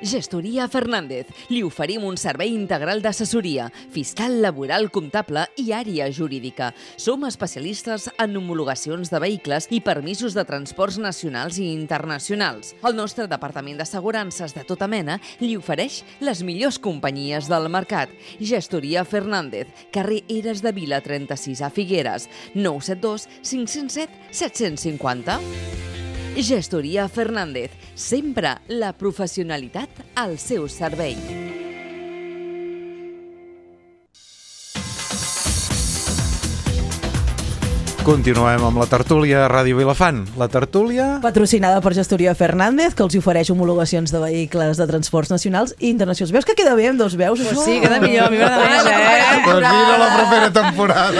Gestoria Fernández. Li oferim un servei integral d'assessoria, fiscal, laboral, comptable i àrea jurídica. Som especialistes en homologacions de vehicles i permisos de transports nacionals i internacionals. El nostre departament d'assegurances de tota mena li ofereix les millors companyies del mercat. Gestoria Fernández, carrer Eres de Vila trenta-sis a Figueres, nou set dos cinc zero set set cinquanta. Gestoria Fernández, sempre la professionalitat al seu servei. Continuem amb la tertúlia a Ràdio Vilafant. La tertúlia... patrocinada per Gestoria Fernández, que els ofereix homologacions de vehicles de transports nacionals i internacionals. Veus que queda bé amb dos veus? Pues això? Sí, queda millor. A mi m'agrada més, eh? Pues mira la propera temporada.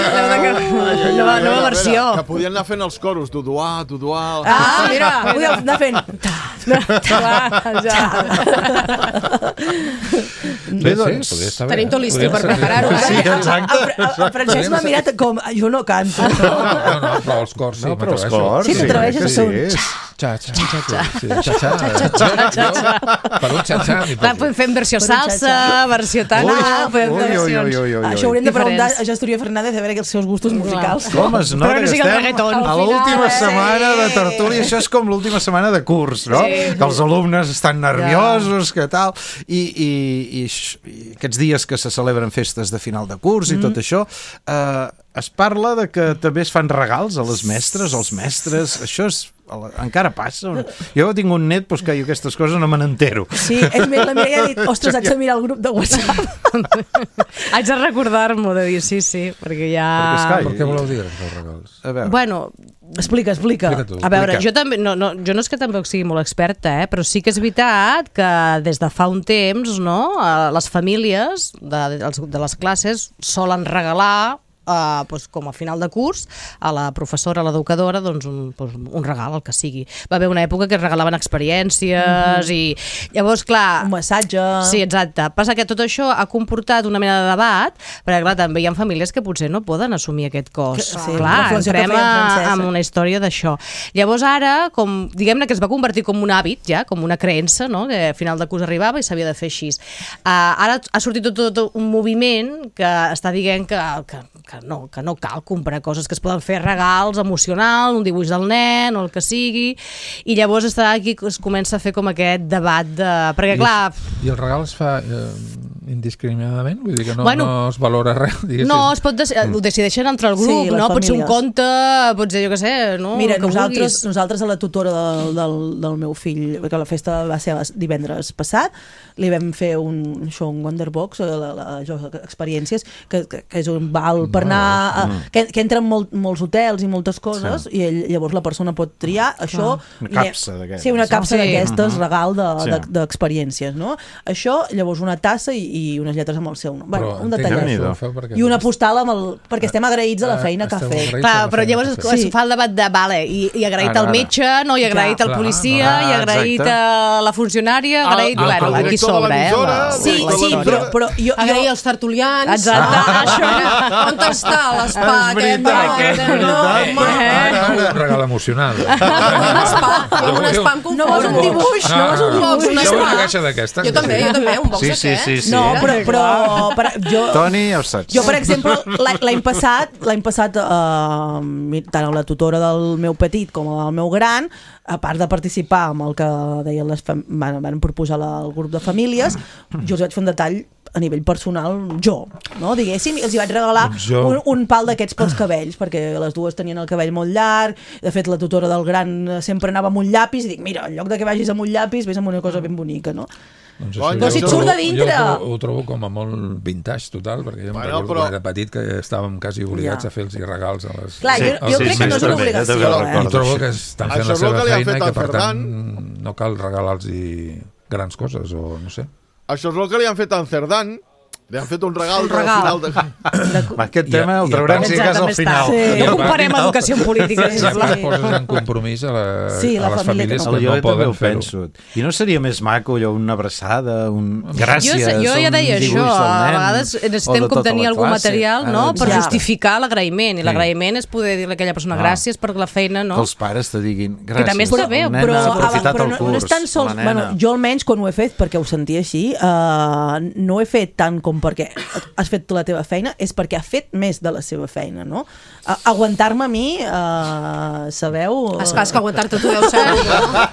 Nova, nova versió. Que podien anar fent els coros. Duduà, Duduà... Ah, mira, podíem anar fent... Bé, doncs... Tenim tot l'estiu per preparar-ho. Sí, exacte. El Francesc m'ha mirat com... Jo no canto. No, no, però els cors sí. No, però els cors, sí, t'atreveixes a fer un... Xa-xa. Xa-xa. Per un xa-xa. Clar, podem fer versió salsa, versió tana... Això hauríem de preguntar a Gestoria Fernández a veure els seus gustos musicals. Com es nota que estem a l'última setmana de tertúlia, això és com l'última setmana de curs, no? Que els alumnes estan nerviosos, que tal, i, i, i, i aquests dies que se celebren festes de final de curs i tot això, eh, es parla de que també es fan regals a les mestres, als mestres, això és encara passa. Jo tinc un net doncs, que jo aquestes coses no me n'entero. Sí, és més, la Mireia ha dit, ostres, haig de mirar el grup de WhatsApp. Haig de recordar-m'ho de dir, sí, sí, perquè ja... Per què voleu dir els regals? A veure. Bueno... Explica, explica. A veure, jo també, no, no, jo no és que tampoc sigui molt experta, eh, però sí que és veritat que des de fa un temps, no, les famílies de, de les classes solen regalar Uh, doncs, com a final de curs a la professora, a l'educadora, doncs un, doncs, un regal, el que sigui. Va haver una època que es regalaven experiències mm-hmm. i llavors, clar... Un massatge... Sí, exacte. Passa que tot això ha comportat una mena de debat, perquè clar, també hi ha famílies que potser no poden assumir aquest cost. Sí, clar, entrem en una història d'això. Llavors ara, com diguem-ne que es va convertir com un hàbit, ja, com una creença, no? Que a final de curs arribava i s'havia de fer així. Uh, ara ha sortit tot, tot un moviment que està dient que, que que no, que no cal comprar coses, que es poden fer regals emocionals, un dibuix del nen o el que sigui, i llavors està aquí es comença a fer com aquest debat de... perquè clar... I el regal es fa eh, indiscriminadament? Vull dir que no, bueno, no es valora res, diguéssim. No, es pot dec ho decideixen entre el grup, sí, no? Pot ser un conte, pot ser, jo què sé, no? Mira, nosaltres, nosaltres a la tutora del, del, del meu fill, perquè la festa va ser divendres passat, li vam fer un show, un Wonderbox, la, la, la, experiències, que, que, que és un val per anar... A, que, que entren molt, molts hotels i moltes coses, sí. I ell, llavors la persona pot triar això... Ah, una capsa d'aquestes. Sí, una capsa sí. d'aquestes, uh -huh. regal Sí. d'experiències, de, de, no? Això, llavors una tassa i, i unes lletres amb el seu nom. Bueno, un detallet. I una postal amb el... perquè estem agraïts a la feina que ha fet. Clar, però llavors es, es fa el debat de, vale, i, i agraït al metge, no? I agraït al policia, i agraït a la funcionària, agraït... Bueno, aquí sobre, eh? Sí, sí, però, però jo... Agrair als tertulians. Exacte, això. On està l'espa aquest? Un regal emocional. Un espa. Un espa em confon. No vols un dibuix? No vols un dibuix? Jo vull una caixa d'aquestes. Jo també, jo també, un box sí, sí, sí, sí. No, però... però per, jo, Toni, ja ho saps. Jo, per exemple, l'any passat, l'any passat eh, tant a la tutora del meu petit com al meu gran, a part de participar amb el que deien les van, van proposar la, el grup de famílies, jo els vaig fer un detall a nivell personal, jo, no? Diguéssim, els hi vaig regalar un, un pal d'aquests pels cabells, perquè les dues tenien el cabell molt llarg, de fet la tutora del gran sempre anava amb un llapis, i dic, mira, en lloc de que vagis amb un llapis, vés amb una cosa ben bonica, no? Doncs això, però si et surt de dintre... Jo ho trobo, ho trobo com a molt vintage, total, perquè jo em bueno, recordo però... que era petit que estàvem quasi obligats ja. a fer-los regals a les... Clar, jo, jo sí, crec sí, que no és una obligació. Eh? I trobo que estan fent la seva feina i que, per tant, no cal regalar-los grans coses, o no sé. Això és el que li han fet a en Cerdán. Li han fet un regal, un regal. Al final de... Aquest tema el traurem si cas al final. Sí. No comparem educació amb política. Sí, sí. Poses en compromís a, la, sí, a les famílies que no, que no poden fer-ho. I no seria més maco allò, una abraçada, un gràcies, jo, jo ja deia un dibuix això, del nen, a vegades necessitem com tenir algun material, no?, per ja. justificar l'agraïment, i l'agraïment és poder dir a aquella persona ah. gràcies per la feina, no? Que els pares te diguin gràcies. Que també està bé, però, però, però no, no és tan sols, bueno, jo almenys quan ho he fet, perquè ho sentia així, uh, no ho he fet tant com perquè has fet la teva feina, és perquè ha fet més de la seva feina, no? Uh, aguantar-me a mi, uh, sabeu... Uh... Esclar, és que aguantar-te tu deu ser... No?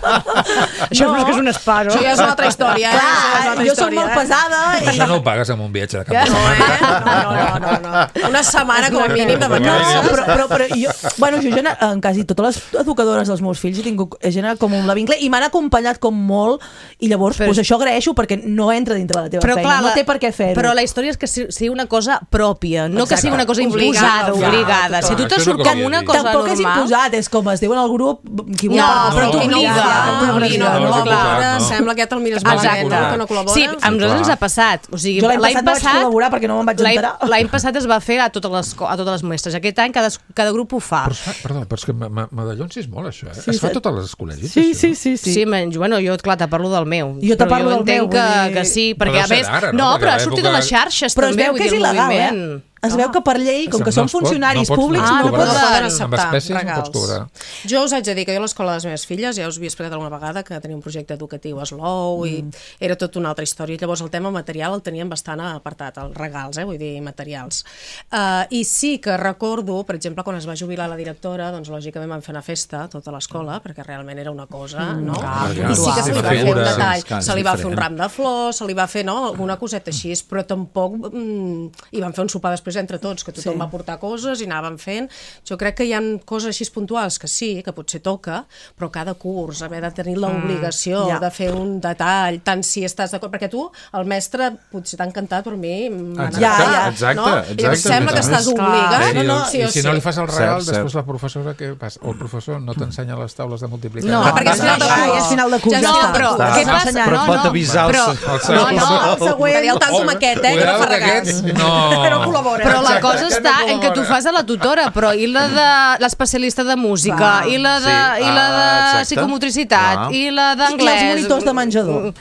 Això no és que és un espa, no? Això ja és una altra història. Clar, eh? altra jo soc molt pesada. I... Això no ho pagues amb un viatge de cap de setmana. No, no, no, no. Una setmana com a mínim de vacances. No, però, però, però jo, bueno, jo en quasi totes les educadores dels meus fills he tingut he generat com un la vincle i m'han acompanyat com molt, i llavors però... pues, això agraeixo perquè no entra dintre de la teva però, feina, clar, no té per què fer-ho. Però la història és que sigui una cosa pròpia, no exacte. Que sigui una cosa imposada, obligada. Si tu te surt com una cosa normal... Tampoc és imposat, és com es diu en el grup... Qui no, però tu obliga. No, clar, sembla que ja te'l mires malament, que no col·labora. Sí, a nosaltres ens ha passat. O sigui, jo l'any passat vaig col·laborar perquè no me'n vaig enterar. L'any passat es va fer a totes les, a totes les mestres. Aquest any cada, cada grup ho fa. Però, perdó, però és que Madallons és molt això, eh? Sí, es fa a totes les col·legis, sí, sí, sí, sí. Sí, menys, bueno, jo, clar, te parlo del meu. Jo te parlo del meu. Que, que sí, perquè a més... No, però ha sortit a les xarxes també, però es veu que és il·legal, eh? es veu que per llei, com que No són es pot- funcionaris no pots públics, Ah, no no poden poden... acceptar Amb espècies no regals. pots cobrar. Jo us haig de dir que jo a l'escola de les meves filles, ja us havia explicat alguna vegada que tenia un projecte educatiu a Slow i Mm. era tota una altra història. Llavors el tema material el teníem bastant apartat, els regals, eh, vull dir, materials. Uh, I sí que recordo, per exemple, quan es va jubilar la directora, doncs lògicament vam fer una festa a tota l'escola, perquè realment era una cosa, Mm. no? Ah, I sí que se li va fer un figura. detall, Sí, clar, és se li va fer un diferent. ram de flors, se li va fer, no?, alguna coseta així, però tampoc... Mm, i vam fer un sopar després entre tots, que tothom Sí. va portar coses i anàvem fent. Jo crec que hi ha coses així puntuals que sí, que potser toca, però cada curs haver de tenir l'obligació ja. de fer un detall, tant si estàs d'acord, perquè tu, el mestre, potser t'ha encantat, però a mi m'ha Exacte, encantat, exacte, no? exacte. I em sembla que A més, estàs obligat, I, no, no, i sí o si sí. no li fas el regal, Cert, després cert. la professora, què passa? O el professor no t'ensenya les taules de multiplicar. No, perquè és final de Ja, curs. és final de curs, Ja ja no, està. però Està. què passa? Ensenyant. Però No, et pot no, avisar el però, se- el no, següent. no, El següent. que el tanto amb aquest, eh, que no fa Cuidado, que regals. aquest no. Que no col·labora. Però la Exacte, cosa aquest està no en que tu col·labora. fas a la tutora, però i la de l'especialista de música, Clar. i la de, Sí, i la ah, de exacte. psicomotricitat, Clar. i la I d'anglès... els monitors de menjador.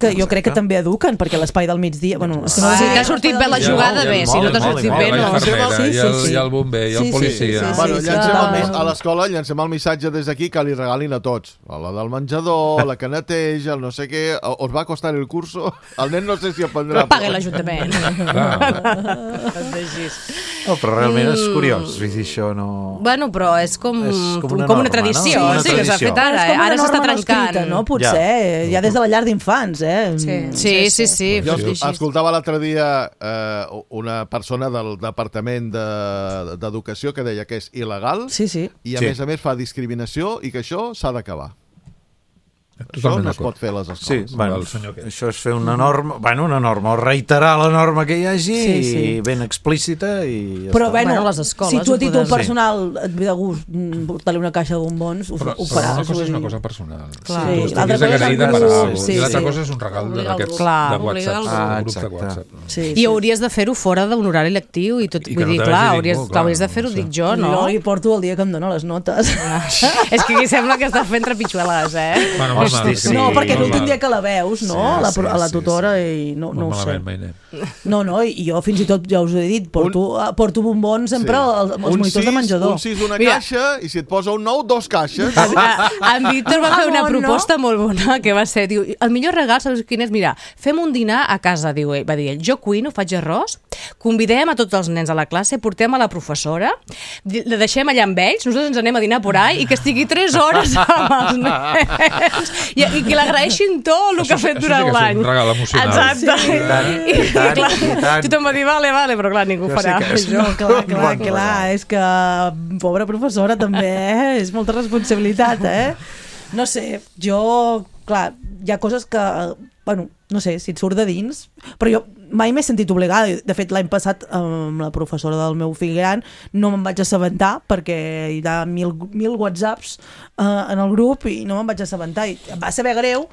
Que jo crec que també eduquen, perquè l'espai del migdia... Bueno, és que no Sí, sé- t'ha sortit bé la I el- jugada, i el bé, si molt, no t'ha molt, sortit molt, bé, la no. infermera, Sí, i el, sí, sí. i el bomber, i el Sí, sí, policia. sí, sí, Bueno, sí, llancem clar. el, a l'escola llancem el missatge des d'aquí que li regalin a tots. A la del menjador, la que neteja, el no sé què... Us va costar el curso? El nen no sé si aprendrà... Però paga l'Ajuntament. No, però realment és curiós, vull dir, això no... Bueno, però és com, És com una com una norma, tradició, no? sí, Una que s'ha tradició. fet ara, És eh? com una Ara s'està norma no trencant. escrita, no? Potser, ja. ja des de la llar d'infants, eh? Sí. Sí, sí, sí. Jo sí, sí. escoltava l'altre dia eh, una persona del Departament de- d'Educació que deia que és il·legal Sí, sí. i a Sí. més a més fa discriminació i que això s'ha d'acabar. Això Totalment no es d'acord. pot fer a les Sí, escoles. bueno, el senyor aquest. això és fer una norma, bueno, una norma, o reiterar la norma que hi hagi, Sí, sí. i ben explícita i ja Però està. bueno, Bueno, les escoles si tu ho a títol poden- personal et ve de gust mm, portar-li una caixa de bombons, ho, Però, ho però faràs. una cosa vull és una dir. cosa personal. Clar. Si tu Sí, l'altra estiguis cosa és agraïda el per grup. alguna cosa. Sí, I l'altra sí. cosa és un regal Obligar el d'aquests grup. Clar. de Obligar WhatsApp. el Ah, un grup de exacte. WhatsApp. Sí, I sí. hauries de fer-ho fora d'un horari lectiu i tot, I que vull no dir, te clar, vegi hauries, ningú, clar, hauries de fer-ho, no sé. dic jo, no? Jo li porto el dia que em dona les notes. És que aquí sembla que estàs fent trepitxueles, eh? Bueno, Hosti, normal, sí. que- No, perquè normal. l'últim dia que la veus, no? Sí, la, sí, a la sí, tutora i no, no Molt ho sé. malament, mai anem. No, no, i jo fins i tot, ja us ho he dit, porto, porto bombons sempre als, als un monitors sis, de menjador. Un sis una Mira. caixa i si et posa un nou, dos caixes. En Víctor va fer una Ah, no, proposta molt bona, que va ser, diu, el millor regal, saps quin és? Mira, fem un dinar a casa, diu ell, va dir ell, jo cuino, faig arròs, convidem a tots els nens a la classe, portem a la professora, di- la deixem allà amb ells, nosaltres ens anem a dinar por ahí, i que estigui tres hores amb els nens, i, i que l'agraeixin tot el que ha fet això sí durant que és un l'any. regal emocional. Exacte. Sí, i tant, I, i tant, clar, i tant. tothom va dir, vale, vale, però clar, ningú Jo farà sí que és- això. No, clar, clar, Bon clar, regal. és que pobra professora també, eh? És molta responsabilitat, eh? No sé, jo, clar, hi ha coses que, bueno, no sé, si et surt de dins, però jo mai m'he sentit obligada. De fet, l'any passat, amb la professora del meu fill gran, no me'n vaig assabentar perquè hi ha mil, mil whatsapps eh, en el grup i no me'n vaig assabentar. I em va saber greu,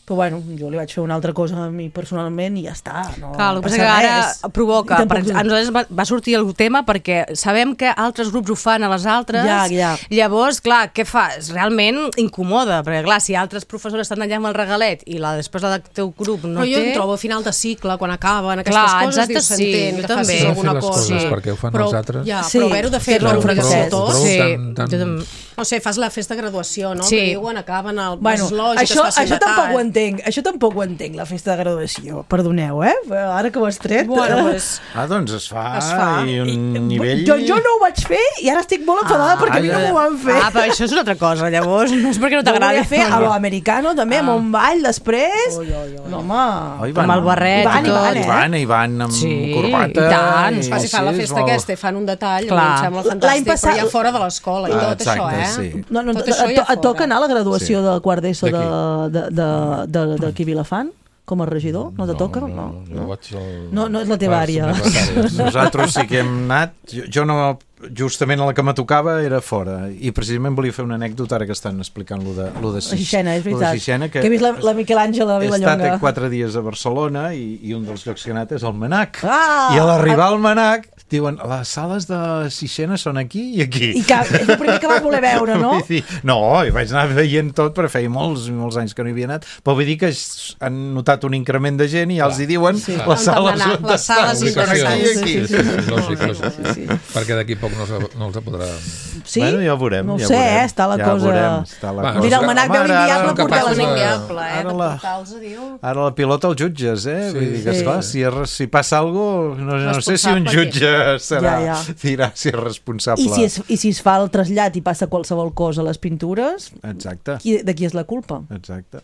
però bueno, jo li vaig fer una altra cosa a mi personalment i ja està. No Clar, el que passa passa que ara res. provoca, I tampoc- per, a nosaltres va, va sortir el tema perquè sabem que altres grups ho fan a les altres, Ja, ja. llavors, clar, què fas? Realment incomoda, perquè clar, si altres professores estan allà amb el regalet i la després la del teu grup no Però jo té... em trobo a final de cicle, quan acaben aquestes Clar, coses, exacte, dius, sí, s'entén jo que també. facis S'ha de alguna fer les cosa. coses perquè ho fan però, els altres. Ja, Sí, però haver-ho de fer fer-ho per en obligació francès. tots. Sí, tan- tan- jo també. O sigui, fas la festa de graduació, no? Sí. Que diuen, acaben el... Bueno, és lògic, això, es faci això un tampoc detall. ho entenc, això tampoc ho entenc, la festa de graduació, perdoneu, eh? Ara que ho has tret... Bueno, pues, Ah, doncs es fa, Es fa. i un I- nivell... Jo, jo no ho vaig fer i ara estic molt enfadada Ah, perquè a mi no ja. m'ho van fer. Ah, però això és una altra cosa, llavors, no és perquè no Jo ho t'agradi. volia fer a lo americano també, amb un ball després. Oi, oi, oi. No, home... Oh, Amb el barret I van, i i tot. van, eh? I van, i van amb Sí, corbata. i tant. i- Clar, si fan la sí, és festa molt- aquesta i fan un detall, Clar. em sembla L'any fantàstic, passat- però ja fora de l'escola i Ah, tot exacte, això, eh? sí. No, no, Tot et, això et, ja et toca fora. anar a la graduació Sí. del quart d'ESO de, D'aquí. de, de, de, de, d'aquí Vilafant? Com a regidor? No, te toca? No, jo vaig al... No, no és la teva a les àrea. secretàries. Nosaltres sí que hem anat, jo, jo no justament a la que me tocava era fora, i precisament volia fer una anècdota ara que estan explicant lo de, lo de Sixena, és veritat. Sixena, que, que he vist la, la Miquel Àngel a Vilallonga. He estat quatre dies a Barcelona i, i un dels llocs que he anat és el Manac. Ah! I a l'arribar al Manac diuen, les sales de Sixena són aquí i aquí. I que és el primer que vas voler veure, no? No, i vaig anar veient tot, però feia molts, molts anys que no hi havia anat, però vull dir que han notat un increment de gent i ja els hi diuen Sí. les sales on Les sales estan. Són aquí i aquí. Sí, sí, sí, lògic, lògic. Sí, sí. Perquè d'aquí poc no, no els podrà... Sí? Bueno, ja ho veurem. No ho ja sé, veurem. eh? Està la ja cosa... Veurem, està la Va, cosa. Mira, el Manac veu l'inviable, portar-la És inviable, eh, Ara de la- portals, diu. Ara la pilota els jutges, eh? Sí, Vull dir que, sí. esclar, si, es- si passa alguna cosa, no, no sé si un Responsable, jutge serà, Ja, ja. dirà si és responsable. I si, es, I si es fa el trasllat i passa qualsevol cosa a les pintures, Exacte, qui, de qui és la culpa? exacte.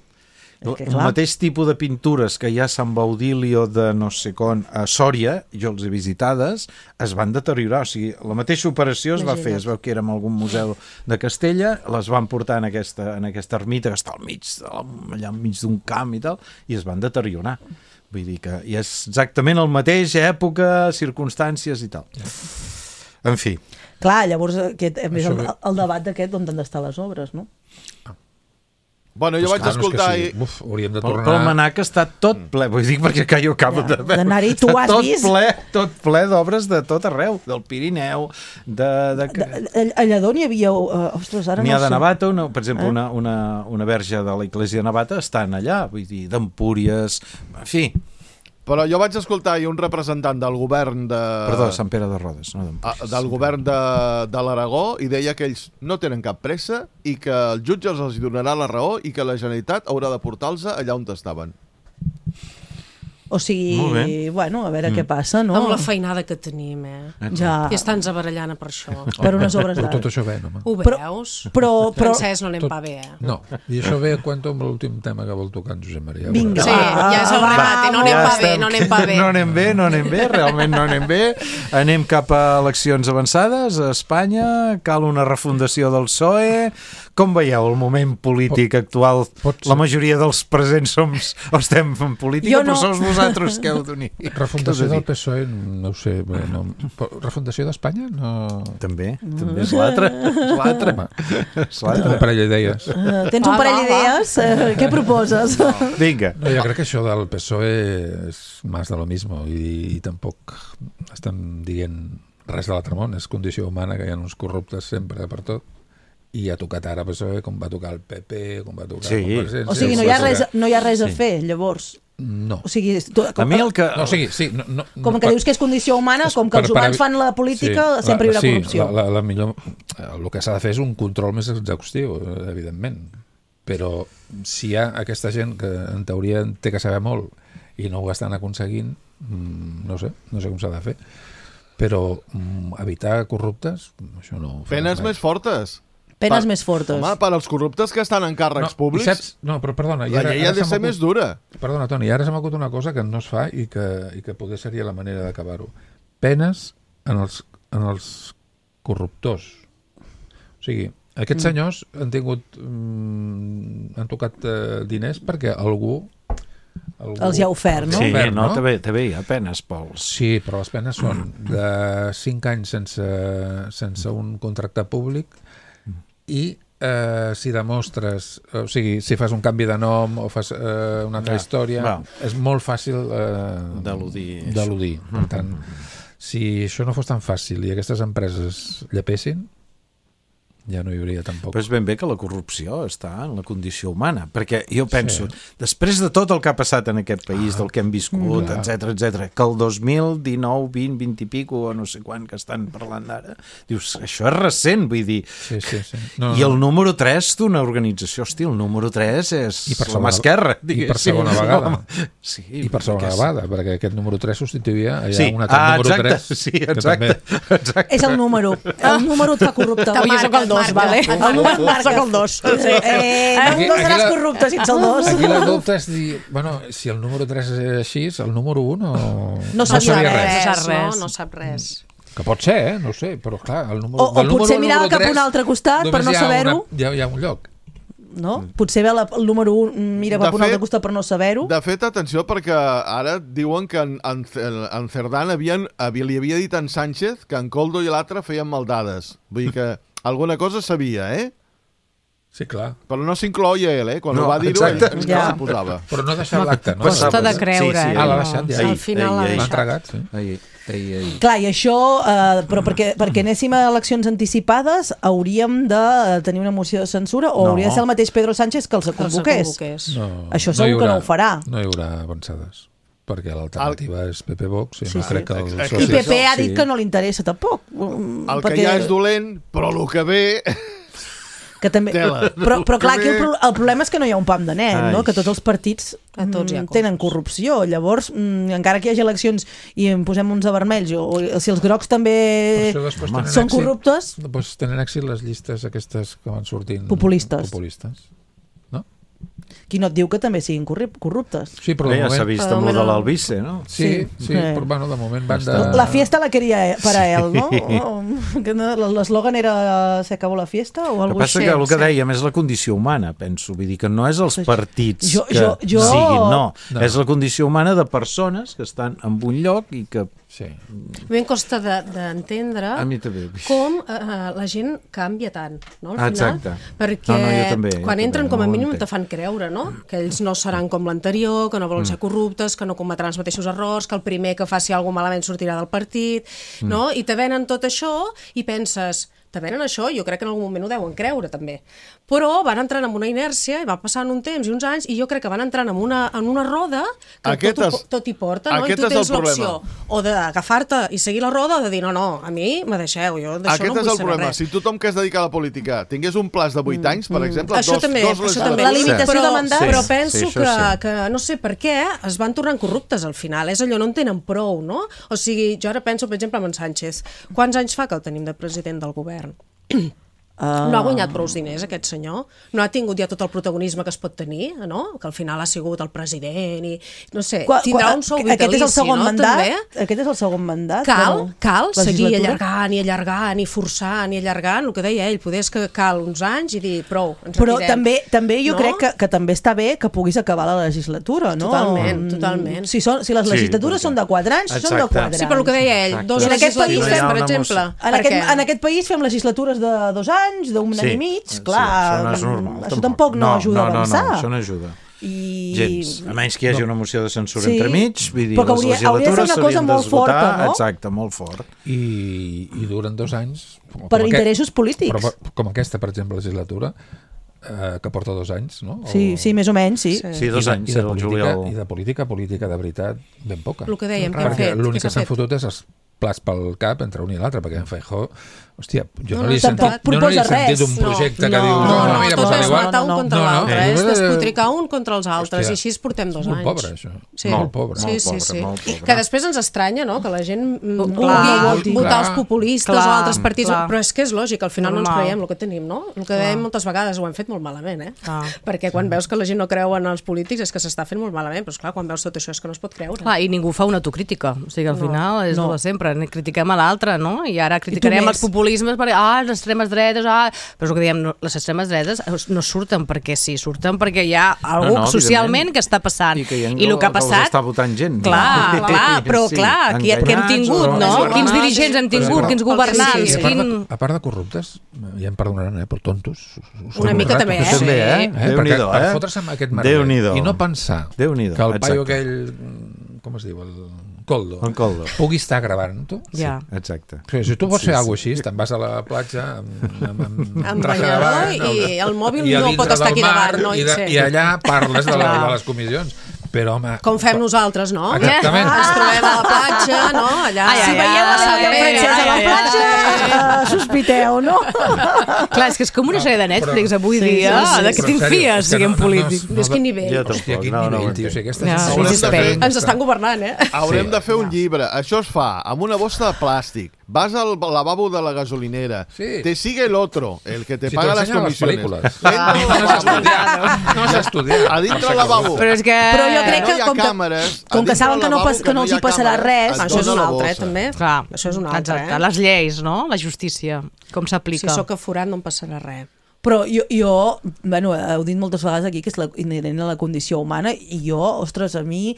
És que, El clar. mateix tipus de pintures que hi ha a Sant Baudilio de no sé com a Sòria, jo els he visitades, es van deteriorar. O sigui, la mateixa operació es va fer, es veu que era en algun museu de Castella, les van portar en aquesta, en aquesta ermita que està al mig, allà al mig d'un camp i tal, i es van deteriorar. Vull dir que i és exactament el mateix, època, circumstàncies i tal. En fi. Clar, llavors aquest, a més, Això el, ve- el debat d'aquest on han d'estar les obres, no? Bueno, jo Pues vaig clar, no és que escoltar... sí. i... Uf, hauríem de Però, tornar... però el Manac està tot ple, vull dir, perquè que jo acabo Ja, de veure. d'anar-hi, tu Està has tot vist? ple, tot ple d'obres de tot arreu, del Pirineu, de... de... A, a Lledó n'hi havia... Uh, ostres, ara N'hi no ha de sé. Navata, una, per exemple, Eh? una, una, una verge de la Iglesia de Navata està allà, vull dir, d'Empúries, en fi, Però jo vaig escoltar i un representant del govern de... perdó, Sant Pere de Rodes, no Ah, d'Empúries. del govern de, de l'Aragó i deia que ells no tenen cap pressa i que el jutge els donarà la raó i que la Generalitat haurà de portar-los allà on estaven. O sigui, Molt bé. bueno, a veure Mm. què passa, no? Amb la feinada que tenim, eh? Ja. I estan barallant per això. Per unes obres Però d'art. tot això ve, no? Ho Però- veus? però- però- Francesc, no anem Tot- pa bé, eh? No, i això ve a cuento amb l'últim tema que vol tocar en Josep Maria. Vinga. Sí, ja és el Va, remate, no anem Ja pa bé, estem- no anem pa bé. No anem bé, no anem bé, realment no anem bé. Anem cap a eleccions avançades a Espanya, cal una refundació del P S O E. Com veieu el moment polític actual? Pots- La majoria dels presents som, o estem en política, Jo no. però sous vosaltres que heu d'unir. Refundació del P S O E, no ho sé. Bé, no. Però refundació d'Espanya? No... També, també és l'altre. És l'altre. Home, És l'altre. un parell d'idees. Uh, tens un Va, parell va, va. d'idees? Uh, què proposes? Vinga. No, jo crec que això del P S O E és més de lo mismo i, i tampoc estan dient res de l'altre món, és condició humana que hi ha uns corruptes sempre per tot i ha tocat ara P S O E com va tocar el P P, com va tocar Sí. Convergència. O sigui, no com hi ha va res, tocar- no hi ha res a Sí. fer, llavors. No. O sigui, tu, A mi el que... No, o sigui, sí, no, no, com que per- dius que és condició humana, és com que per- els per humans evi- fan la política, Sí, sempre hi la- haurà sí, corrupció. La, la, la millor, el que s'ha de fer és un control més exhaustiu, eh, evidentment. Però si hi ha aquesta gent que en teoria té que saber molt i no ho estan aconseguint, mm, no sé, no sé com s'ha de fer. Però mm, evitar corruptes, això no... ho farà Penes mai. més fortes. Penes Per- més fortes. Home, per als corruptes que estan en càrrecs i públics, saps? No, però perdona. i la ara- llei ara ha de se ser m'acut- més dura. Perdona, Toni, ara se m'ha acut una cosa que no es fa i que, i que poder seria la manera d'acabar-ho. Penes en els, en els corruptors. O sigui, aquests Mm. senyors han tingut... Mm, han tocat eh, diners perquè algú... algú Els hi ha ofert, no? Sí, ofert, no, no? també, també hi ha penes pels... Sí, però les penes són de cinc anys sense, sense un contracte públic i eh, si demostres, o sigui, si fas un canvi de nom o fas eh, una altra Ja, història, va. és molt fàcil eh, D'eludir això. d'eludir. Per tant, si això no fos tan fàcil i aquestes empreses llepessin, ja no hi hauria tampoc. Però és ben bé que la corrupció està en la condició humana, perquè jo penso, sí. després de tot el que ha passat en aquest país, ah, del que hem viscut, clar. etc etcètera, que el dos mil dinou, vint, vint i pico, o no sé quan que estan parlant ara, dius, això és recent, vull dir, Sí, sí, sí. No, i el no. número tres d'una organització, hosti, el número tres és I per la mà segona- esquerra, i per diguéssim. segona vegada. Sí, I per segona perquè és- vegada, perquè aquest número tres substituïa allà Sí, un altre ah, número exacte, tres. sí, que exacte, també- exacte. És el número. El número et fa corrupte. Te'l Jo soc marca, el dos, marca. vale? Et El número marca el dos. Sí. Eh, no, Aquí- no aquí seràs la- corrupte sense el dos. Aquí la dubte és dir, bueno, si el número tres és així, el número un no... No sabia res. res, sap res. no, no sap res. Que pot ser, eh? No ho sé, però clar, el número... O- o del número potser al mirava número cap a un tres altre costat per només no hi ha saber-ho. una- Hi ha, hi ha un lloc. no? Potser ve la, el número un, mira, va per un altre costat per no saber-ho. De fet, atenció, perquè ara diuen que en, en, en Cerdán havien, havia, li havia dit a en Sánchez que en Koldo i l'altre feien maldades. Vull dir que alguna cosa sabia, eh? Sí, clar. Però no s'incloia ell, eh? Quan no, ho va dir-ho, ell ens ja. s'hi posava. Però no ha deixat l'acte, no? Costa de creure. Sí, sí, ah, l'ha deixat, ja. Al final l'ha deixat. L'ha entregat, sí. Ahir. Ei, ei. Clar, i això, eh, però perquè, perquè anéssim a eleccions anticipades hauríem de tenir una moció de censura o no. hauria de ser el mateix Pedro Sánchez que els convoqués. No, això segur no haurà, que no ho farà. No hi haurà avançades, perquè l'alternativa el... és P P Vox i sí, no sí. crec que els socis... I P P ha dit sí. que no li interessa tampoc. El perquè... que ja és dolent, però el que ve... Que també... Però, però clar, aquí el, pro... el problema és que no hi ha un pam de net, no? Que tots els partits a tots mm, tenen corrupció. Llavors, mm, encara que hi hagi eleccions i en posem uns de vermells, o, o si els grocs també són èxit, corruptes... Doncs tenen èxit les llistes aquestes que van sortint... Populistes. Populistes. Qui no et diu que també siguin corruptes? Sí, però ja s'ha vist amb el de l'Albice, no? Sí, sí, sí eh. però bueno, de moment van de... La fiesta la queria per a ell, no? L'eslògan era se acabó la fiesta o alguna cosa així? El que passa que el que dèiem és la condició humana, penso. Vull dir que no és els partits jo, que jo, jo... siguin, no. no. És la condició humana de persones que estan en un lloc i que... Sí. A mi em costa d'entendre de, com uh, la gent canvia tant, no, al final. Exacte. Perquè no, no, també, quan entren també, com a no mínim te fan creure, no? Que ells no seran com l'anterior, que no volen ser corruptes, que no cometran els mateixos errors, que el primer que faci alguna malament sortirà del partit, no? I te venen tot això i penses... te venen això, jo crec que en algun moment ho deuen creure també, però van entrant en una inèrcia i va passant un temps i uns anys i jo crec que van entrant en una, en una roda que tot, és, tot hi porta, no? I tu tens l'opció o d'agafar-te i seguir la roda o de dir no, no, a mi me deixeu, jo d'això no vull saber res. Aquest és el problema, si tothom que es dedica a la política tingués un plaç de vuit anys, per exemple, això dos, també, dos això també. La limitació però, de mandat. Però penso sí, que, sí. que no sé per què es van tornant corruptes al final, és allò, no en tenen prou, no? O sigui, jo ara penso, per exemple, en Sánchez, quants anys fa que el tenim de president del govern? Uh... No ha guanyat prou diners aquest senyor, no ha tingut ja tot el protagonisme que es pot tenir, no? Que al final ha sigut el president i no sé, qua, tindrà qua, un sou vitalici, aquest és el segon no? mandat? També? Aquest és el segon mandat? Cal, bueno, cal seguir allargant i allargant i forçant i allargant, el que deia ell, poder és que cal uns anys i dir prou, ens però retirem. també, també jo no? crec que, que també està bé que puguis acabar la legislatura, no? Totalment, totalment. Si, són, si les legislatures sí, són de quatre anys, exacte. Són de quatre anys. Sí, però el que deia ell, Exacte. dos legislatures, país, per exemple. En aquest, en aquest país fem legislatures de dos anys, d'un sí. any i mig, clar, sí, això, no és normal, això tampoc no, no ajuda no, a avançar. No, no, això no ajuda. I... Gens, a menys que hi hagi una moció de censura sí. entremig, vull dir, però les hauria, legislatures s'haurien d'esgotar, no? exacte, molt fort. I, i duren dos anys. Per interessos aquest, polítics. Però, com aquesta, per exemple, legislatura, eh, que porta dos anys, no? O... Sí, sí, més o menys, sí. Sí, sí dos I de, anys, i de, el política, juliol. I de política, política de veritat, ben poca. El que dèiem, que hem perquè fet. L'únic que s'han fotut és els plats pel cap entre un i l'altre, perquè en Feijó, hòstia, jo no, no li he sentit, jo no li he sentit un projecte no, que diu, no, no, no, mira, tot pues és matar un contra no, l'altre, no, és despotricar un contra els altres, hòstia, i així portem dos anys. Molt pobre, això. Sí. Molt pobre. Sí, molt sí, pobre, sí. molt pobre. Que després ens estranya, no?, que la gent vulgui clar, votar els populistes clar, o altres partits, clar. Però és que és lògic, al final Normal. no ens creiem el que tenim, no? El que dèiem moltes vegades ho hem fet molt malament, eh? Clar. Perquè quan veus que la gent no creu en els polítics és que s'està fent molt malament, però esclar, quan veus tot això és que no es pot creure. Clar, i ningú fa una autocrítica, o sigui, al No, final és no. el de sempre, critiquem a l'altre, no? I ara criticarem els populismes perquè, ah, les extremes dretes, ah... Però és el que diem, no, les extremes dretes no surten perquè sí, surten perquè hi ha algú no, no, socialment que està passant. I, que hi ha I el que ha passat... està votant gent. Clar, clar, però sí, clar, qui, que hem tingut, no? Quins dirigents hem tingut, quins governants, Sí, a, part quin... de, a part de corruptes, ja em perdonaran, eh, però tontos. Una mica també, eh? També, eh? eh? Déu-n'hi-do, eh? Per fotre's amb aquest merder i no pensar que el paio aquell, com es diu, el Koldo, el Koldo. pugui estar gravant-ho. Ja. Sí, exacte. Sí, si tu vols Sí, fer alguna sí. cosa així, te'n vas a la platja amb, amb, amb, Amb banyador i el mòbil i a no dintre pot estar del aquí mar, davant, no? I, de, Sí. i allà parles de, la, de les comissions. Però, home... Com fem nosaltres, no? Exactament. Ens trobem a la platja, no? Allà, Ai, ai, Si veieu ai, la ai, francesa a la ai, platja, eh, sospiteu, no? Clar, és que és com una sèrie de Netflix avui Sí, dia, sí, sí, de que però en sèrio, t'infies, és que siguem no- no- polítics. no- Ves quin nivell. Jo Hòstia, quin no, no, nivell, no, tio. O sigui, aquesta Ja, sensació sí, de- sí. Ens estan governant, eh? Haurem Sí. de fer un llibre. Això es fa amb una bossa de plàstic. Vas al lavabo de la gasolinera. Sí. Te sigue el otro, el que te Si paga t'ho las ensenyen a les comisiones. pel·lícules. Entra al No has lavabo. estudiat. No has estudiat. A dintre del lavabo. Però és que... Però jo crec No que hi ha com que, càmeres. com A que dintre saben del que no, lavabo pas, que no hi els hi ha passarà càmeres, res, et Això és dona un la altre, eh, bossa. també. Clar, Això és un altre, exacte. eh? Les lleis, no? La justícia, com Si s'aplica. sóc aforat no em passarà res. Però jo, jo, bueno, heu dit moltes vegades aquí que és la, inherent a la condició humana i jo, ostres, a mi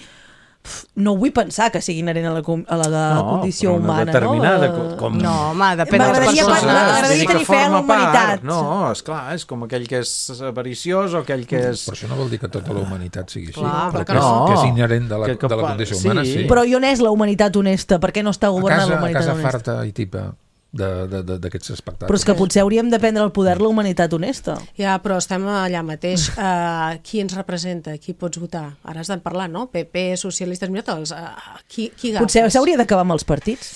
no vull pensar que sigui inherent a la, a la no, condició humana. Determinada, no? Com... no, home, depèn de les persones. M'agradaria tenir fe en la humanitat. No, esclar, és com aquell que és avariciós o aquell que és... Però això no vol dir que tota la humanitat sigui així. Clar, però que que, no. que és inherent de la, que, que, de la condició sí. humana, sí. Però i on és la humanitat honesta? Per què no està governant la humanitat honesta? A casa honesta? farta i tipa d'aquests espectacles. Però és que potser hauríem de prendre el poder la humanitat honesta. Ja, però estem allà mateix. Uh, qui ens representa? Qui pots votar? Ara has de parlar, no? P P, socialistes, mira-te'ls. Uh, qui, qui agafes? Potser s'hauria d'acabar amb els partits.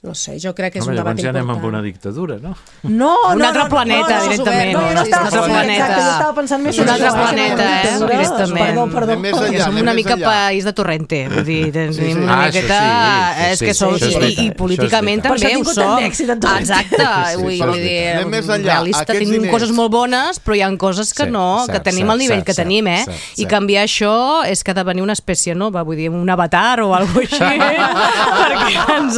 No sé, jo crec que és Home, un debat important. Ja anem amb important. una dictadura, no? No, un no, altre no, planeta, no, no, directament. No, no, no, estava, un altre sí, planeta. Exacte, jo estava pensant més un altre això, planeta, eh? Directament. Perdó, perdó. Anem més enllà, Som anem una més mica enllà. país de Torrente, vull dir, tenim sí. una Ah, miqueta... això sí, és sí, que som, sí, això és i, veritat, i políticament això és també ho veritat. som. Per això ha tingut tant d'èxit en Torrente. Exacte, Sí, vull, sí, vull sí. dir, Anem més enllà. realista, Aquests tenim diners- coses molt bones, però hi ha coses que Sí, no, que cert, tenim cert, el nivell cert, que cert, tenim, eh? cert, I cert. canviar això és que ha de venir una espècie nova, vull dir, un avatar o alguna cosa així, perquè ens,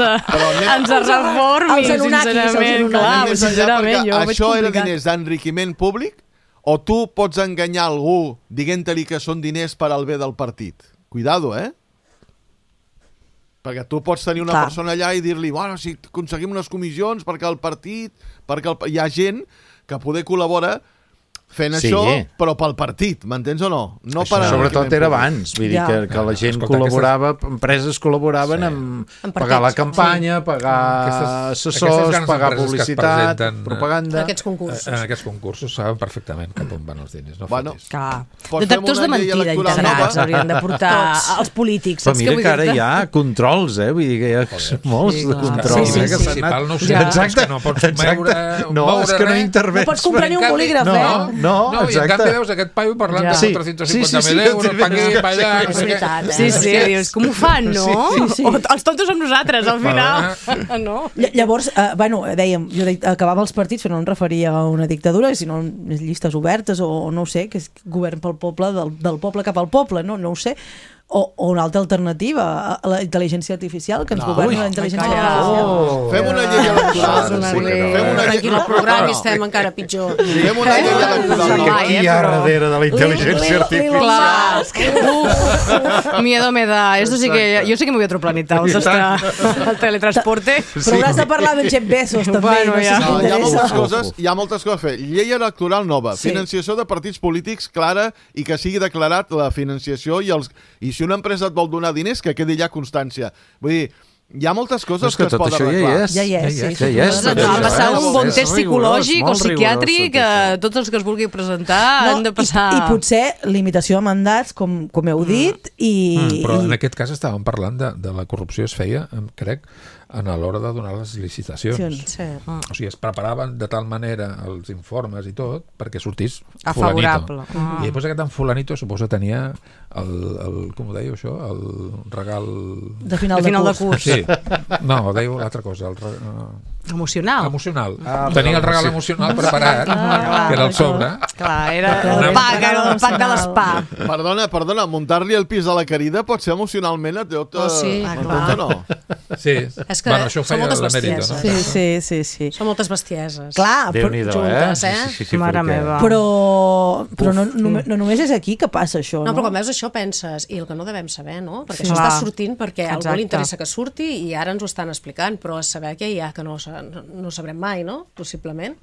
ens reformi, Els Anunnakis, els sincerament, Anunnakis. clar, Anem més enllà, sincerament, perquè jo ho veig això era complicat. diners d'enriquiment públic o tu pots enganyar algú dient-li que són diners per al bé del partit? Cuidado, eh? Perquè tu pots tenir una Clar. persona allà i dir-li, bueno, si aconseguim unes comissions perquè el partit... perquè el... hi ha gent que poder col·labora fent Sí. això, però pel partit, m'entens o no? No per Sobretot enriquiment era públic. abans, vull dir Ja. que, que la gent Escolta, col·laborava, empreses col·laboraven Sí. amb En pagar la partits, campanya, pagar Aquestes- assessors, aquestes grans pagar empreses que es publicitat, presenten, eh, propaganda... Aquests concursos. En aquests concursos saben perfectament cap on van els diners. No Bueno, fotis. Clar. Pots Detectors fer de una llei mentida electoral integrats nova? haurien de portar els polítics. Però saps què mira vull que ara dir-te? hi ha controls, eh? Vull dir que hi ha molts Sí, de clar. controls. Sí, sí, eh, que sí. s'han anat- Principal no ho sé, Exacte, és que no pots exacte. moure- No, moure és que no res. intervens. No pots comprar ni un En canvi- bolígraf, no, eh? no, No, i en exacte. canvi veus aquest paio parlant Ja. de Sí, quatre-cents sí, cinquanta sí, mil sí, euros, sí, pa aquí, sí, pa allà... sí, no És sé què. veritat, eh? Sí, sí, dius, com ho fan, no? Sí, sí. O, els tontos som nosaltres, al final. No? Ll- Llavors, eh, bueno, dèiem, jo de, acabava els partits, però no em referia a una dictadura, sinó a llistes obertes o no ho sé, que és govern pel poble, del, del poble cap al poble, no, no ho sé. O, o una altra alternativa, a la intel·ligència artificial, que ens No, governi ui, la intel·ligència calla. artificial. Oh. Fem una llei Això és electoral. una Sí, llei. fem una llei... Tranquil, el programa i estem encara pitjor. Fem una llei electoral Ai, nova. Qui hi ha darrere de la intel·ligència artificial? Clar. Miedo me da. Esto sí que, yo sí que me voy a otro planeta. O sea, el teletransporte. Però hauràs de parlar de Jeff Bezos, també. Bueno, no sé ja. si No, hi ha moltes t'interessa. coses, hi ha moltes coses a fer. Llei electoral nova, Sí. financiació de partits polítics clara i que sigui declarat la financiació i els i si una empresa et vol donar diners, que quedi ja constància. Vull dir, hi ha moltes coses És que que es tot poden això ja hi arreglar. és. Ja hi és, sí, ja sí, hi és. sí. tot Ha això, passat eh? un bon És test rigorós, psicològic o molt rigorós psiquiàtric tot que això. tots els que es vulgui presentar han de passar... I, I potser limitació de mandats, com, com heu dit, i... Mm, però i- en aquest cas estàvem parlant de, de la corrupció es feia, em crec, a l'hora de donar les licitacions. Sí. O sigui, es preparaven de tal manera els informes i tot perquè sortís A fulanito. favorable. Ah. I després aquest en fulanito suposa tenia el, el com ho dèieu això? El regal... De final De de, final de curs. curs. Sí. No, dèieu l'altra cosa. El re... uh, Emocional. emocional. Ah, Tenia el però- regal sí. emocional preparat, Ah, que era el sobre. Clar, era Una- el pack, era el pack de l'espa. Perdona, perdona, muntar-li el pis de la querida pot ser emocionalment a tot... Oh, sí. Ah, clar. no? Sí. És que bueno, això ho són feia moltes l'emèrito, no? bestieses. Sí, sí, sí, sí. Són moltes bestieses. Clar, però, Déu-n'hi-do, juntes, eh? eh? Sí, sí, sí, Mare perquè- meva. però, però no, no, no només és aquí que passa això, No, no? però quan veus això penses, i el que no devem saber, no? Perquè Sí. això Clar. està sortint perquè a algú Exacte. li interessa que surti i ara ens ho estan explicant, però a saber què hi ha que no, sa- no, no sabrem mai, no? Possiblement.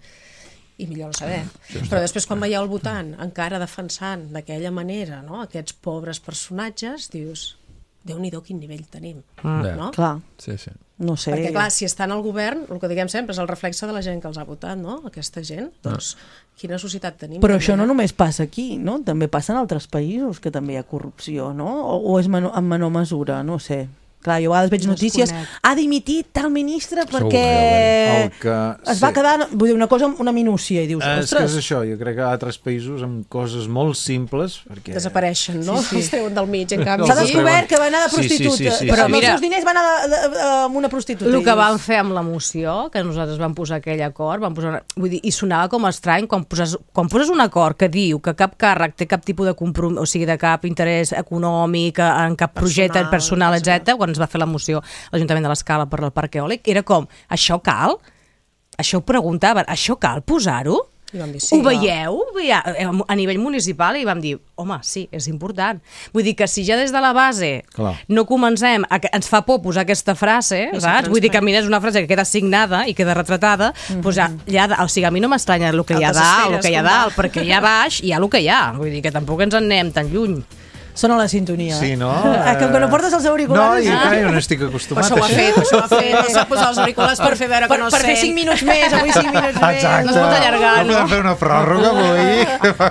I millor no saber. Però després quan veieu el votant encara defensant d'aquella manera, no? Aquests pobres personatges, dius, Déu-n'hi-do quin nivell tenim, Ja. no? Clar, Sí, sí. no sé. Perquè, clar, si estan al govern, el que diguem sempre és el reflexe de la gent que els ha votat, no? Aquesta gent, doncs, quina societat tenim? Però també, això no eh? només passa aquí, no? També passa en altres països que també hi ha corrupció, no? O, o és menor, en menor mesura, no sé. Clar, jo a vegades veig notícies, Desconec. ha dimitit tal ministre Segur, perquè El que- es va sí. quedar, vull dir, una cosa, una minúcia, i dius, Eh, és que és ostres, això, jo crec que altres països amb coses molt simples perquè... Desapareixen, no? Sí, sí. Els treuen del mig, en canvi. s'ha No, aquí- descobert que va anar de Sí, sí, sí, prostituta, sí, sí, però sí. els Mira, seus diners van anar de, de, de, amb una prostituta. El i que dius, vam fer amb la moció, que nosaltres vam posar aquell acord, vam posar, vull dir, i sonava com estrany quan poses, quan poses un acord que diu que cap càrrec té cap tipus de compromís, o sigui, de cap interès econòmic, en cap projecte personal, etcètera. Quan es va fer la moció a l'Ajuntament de l'Escala per al parc eòlic, era com, això cal? Això ho preguntaven, això cal posar-ho? I vam dir, sí, ho veieu a nivell municipal i vam dir, home, sí, és important. Vull dir que si ja des de la base Clar. no comencem, a, ens fa por posar aquesta frase, saps? Vull dir que a mi és una frase que queda signada i queda retratada, mm-hmm. doncs ja, ja, o sigui, a mi no m'estranya el que hi ha dalt, el que hi ha dalt, perquè hi ha baix hi ha el que hi ha. Vull dir que tampoc ens en anem tan lluny. Sona la sintonia. Sí, no? Eh, que, que no portes els auriculars. No, i ah. jo no estic acostumat això ho ha fet, això ho ha fet. No s'ha posat els auriculars per fer veure que per, no per fer cinc minuts més, avui cinc minuts més. Exacte. No es pot allargar, no? No podem fer una pròrroga avui?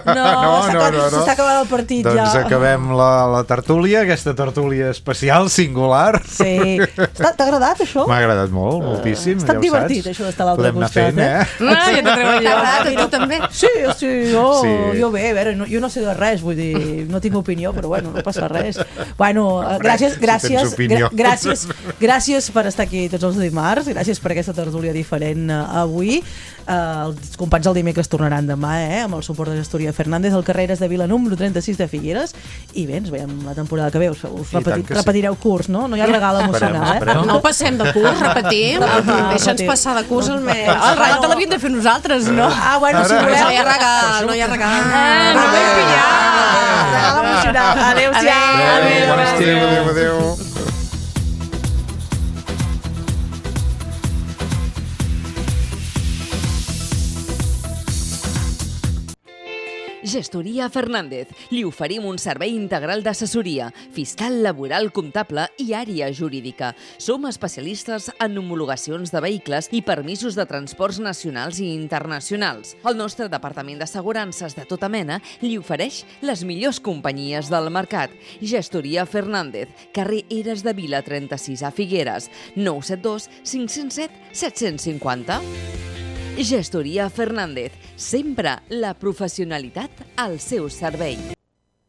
No, no, no, no, no. S'està acabant el partit doncs ja. Doncs acabem la, la tertúlia, aquesta tertúlia especial, singular. Sí. T'ha agradat, això? M'ha agradat molt, moltíssim. Ha estat ja divertit, saps. això d'estar a l'altre costat. Podem anar fent, eh? Ah, ja t'ha agradat, a tu també? Sí, sí, jo, sí. jo bé, a veure, no, jo no sé de res, vull dir, no tinc opinió, però bueno, no passa res. Bueno, gràcies, gràcies, gra gràcies, gràcies per estar aquí tots els dimarts, gràcies per aquesta tertúlia diferent uh, avui. Uh, els companys del dimecres tornaran demà, eh, amb el suport de Gestoria Fernández al carrer de Vila número trenta-sis de Figueres, i bé, ens veiem la temporada que ve, us, us repeti, repetireu sí. curs, no? No hi ha regal emocional, eh? Esperem. No passem de curs, repetim, deixa'ns passar de curs el mes. El regal te l'havíem de fer nosaltres, no? Ah, bueno, si voleu. No hi ha regal, no hi ha regal. Ah, no m'he pillat. Regal emocional. Adéu-siau. Adéu, adéu, adéu. Gestoria Fernández. Li oferim un servei integral d'assessoria, fiscal, laboral, comptable i àrea jurídica. Som especialistes en homologacions de vehicles i permisos de transports nacionals i internacionals. El nostre departament d'assegurances de tota mena li ofereix les millors companyies del mercat. Gestoria Fernández, carrer Eres de Vila trenta-sis a Figueres, nou set dos cinc zero set set cinc zero. Gestoria Fernández, sempre la professionalitat al seu servei.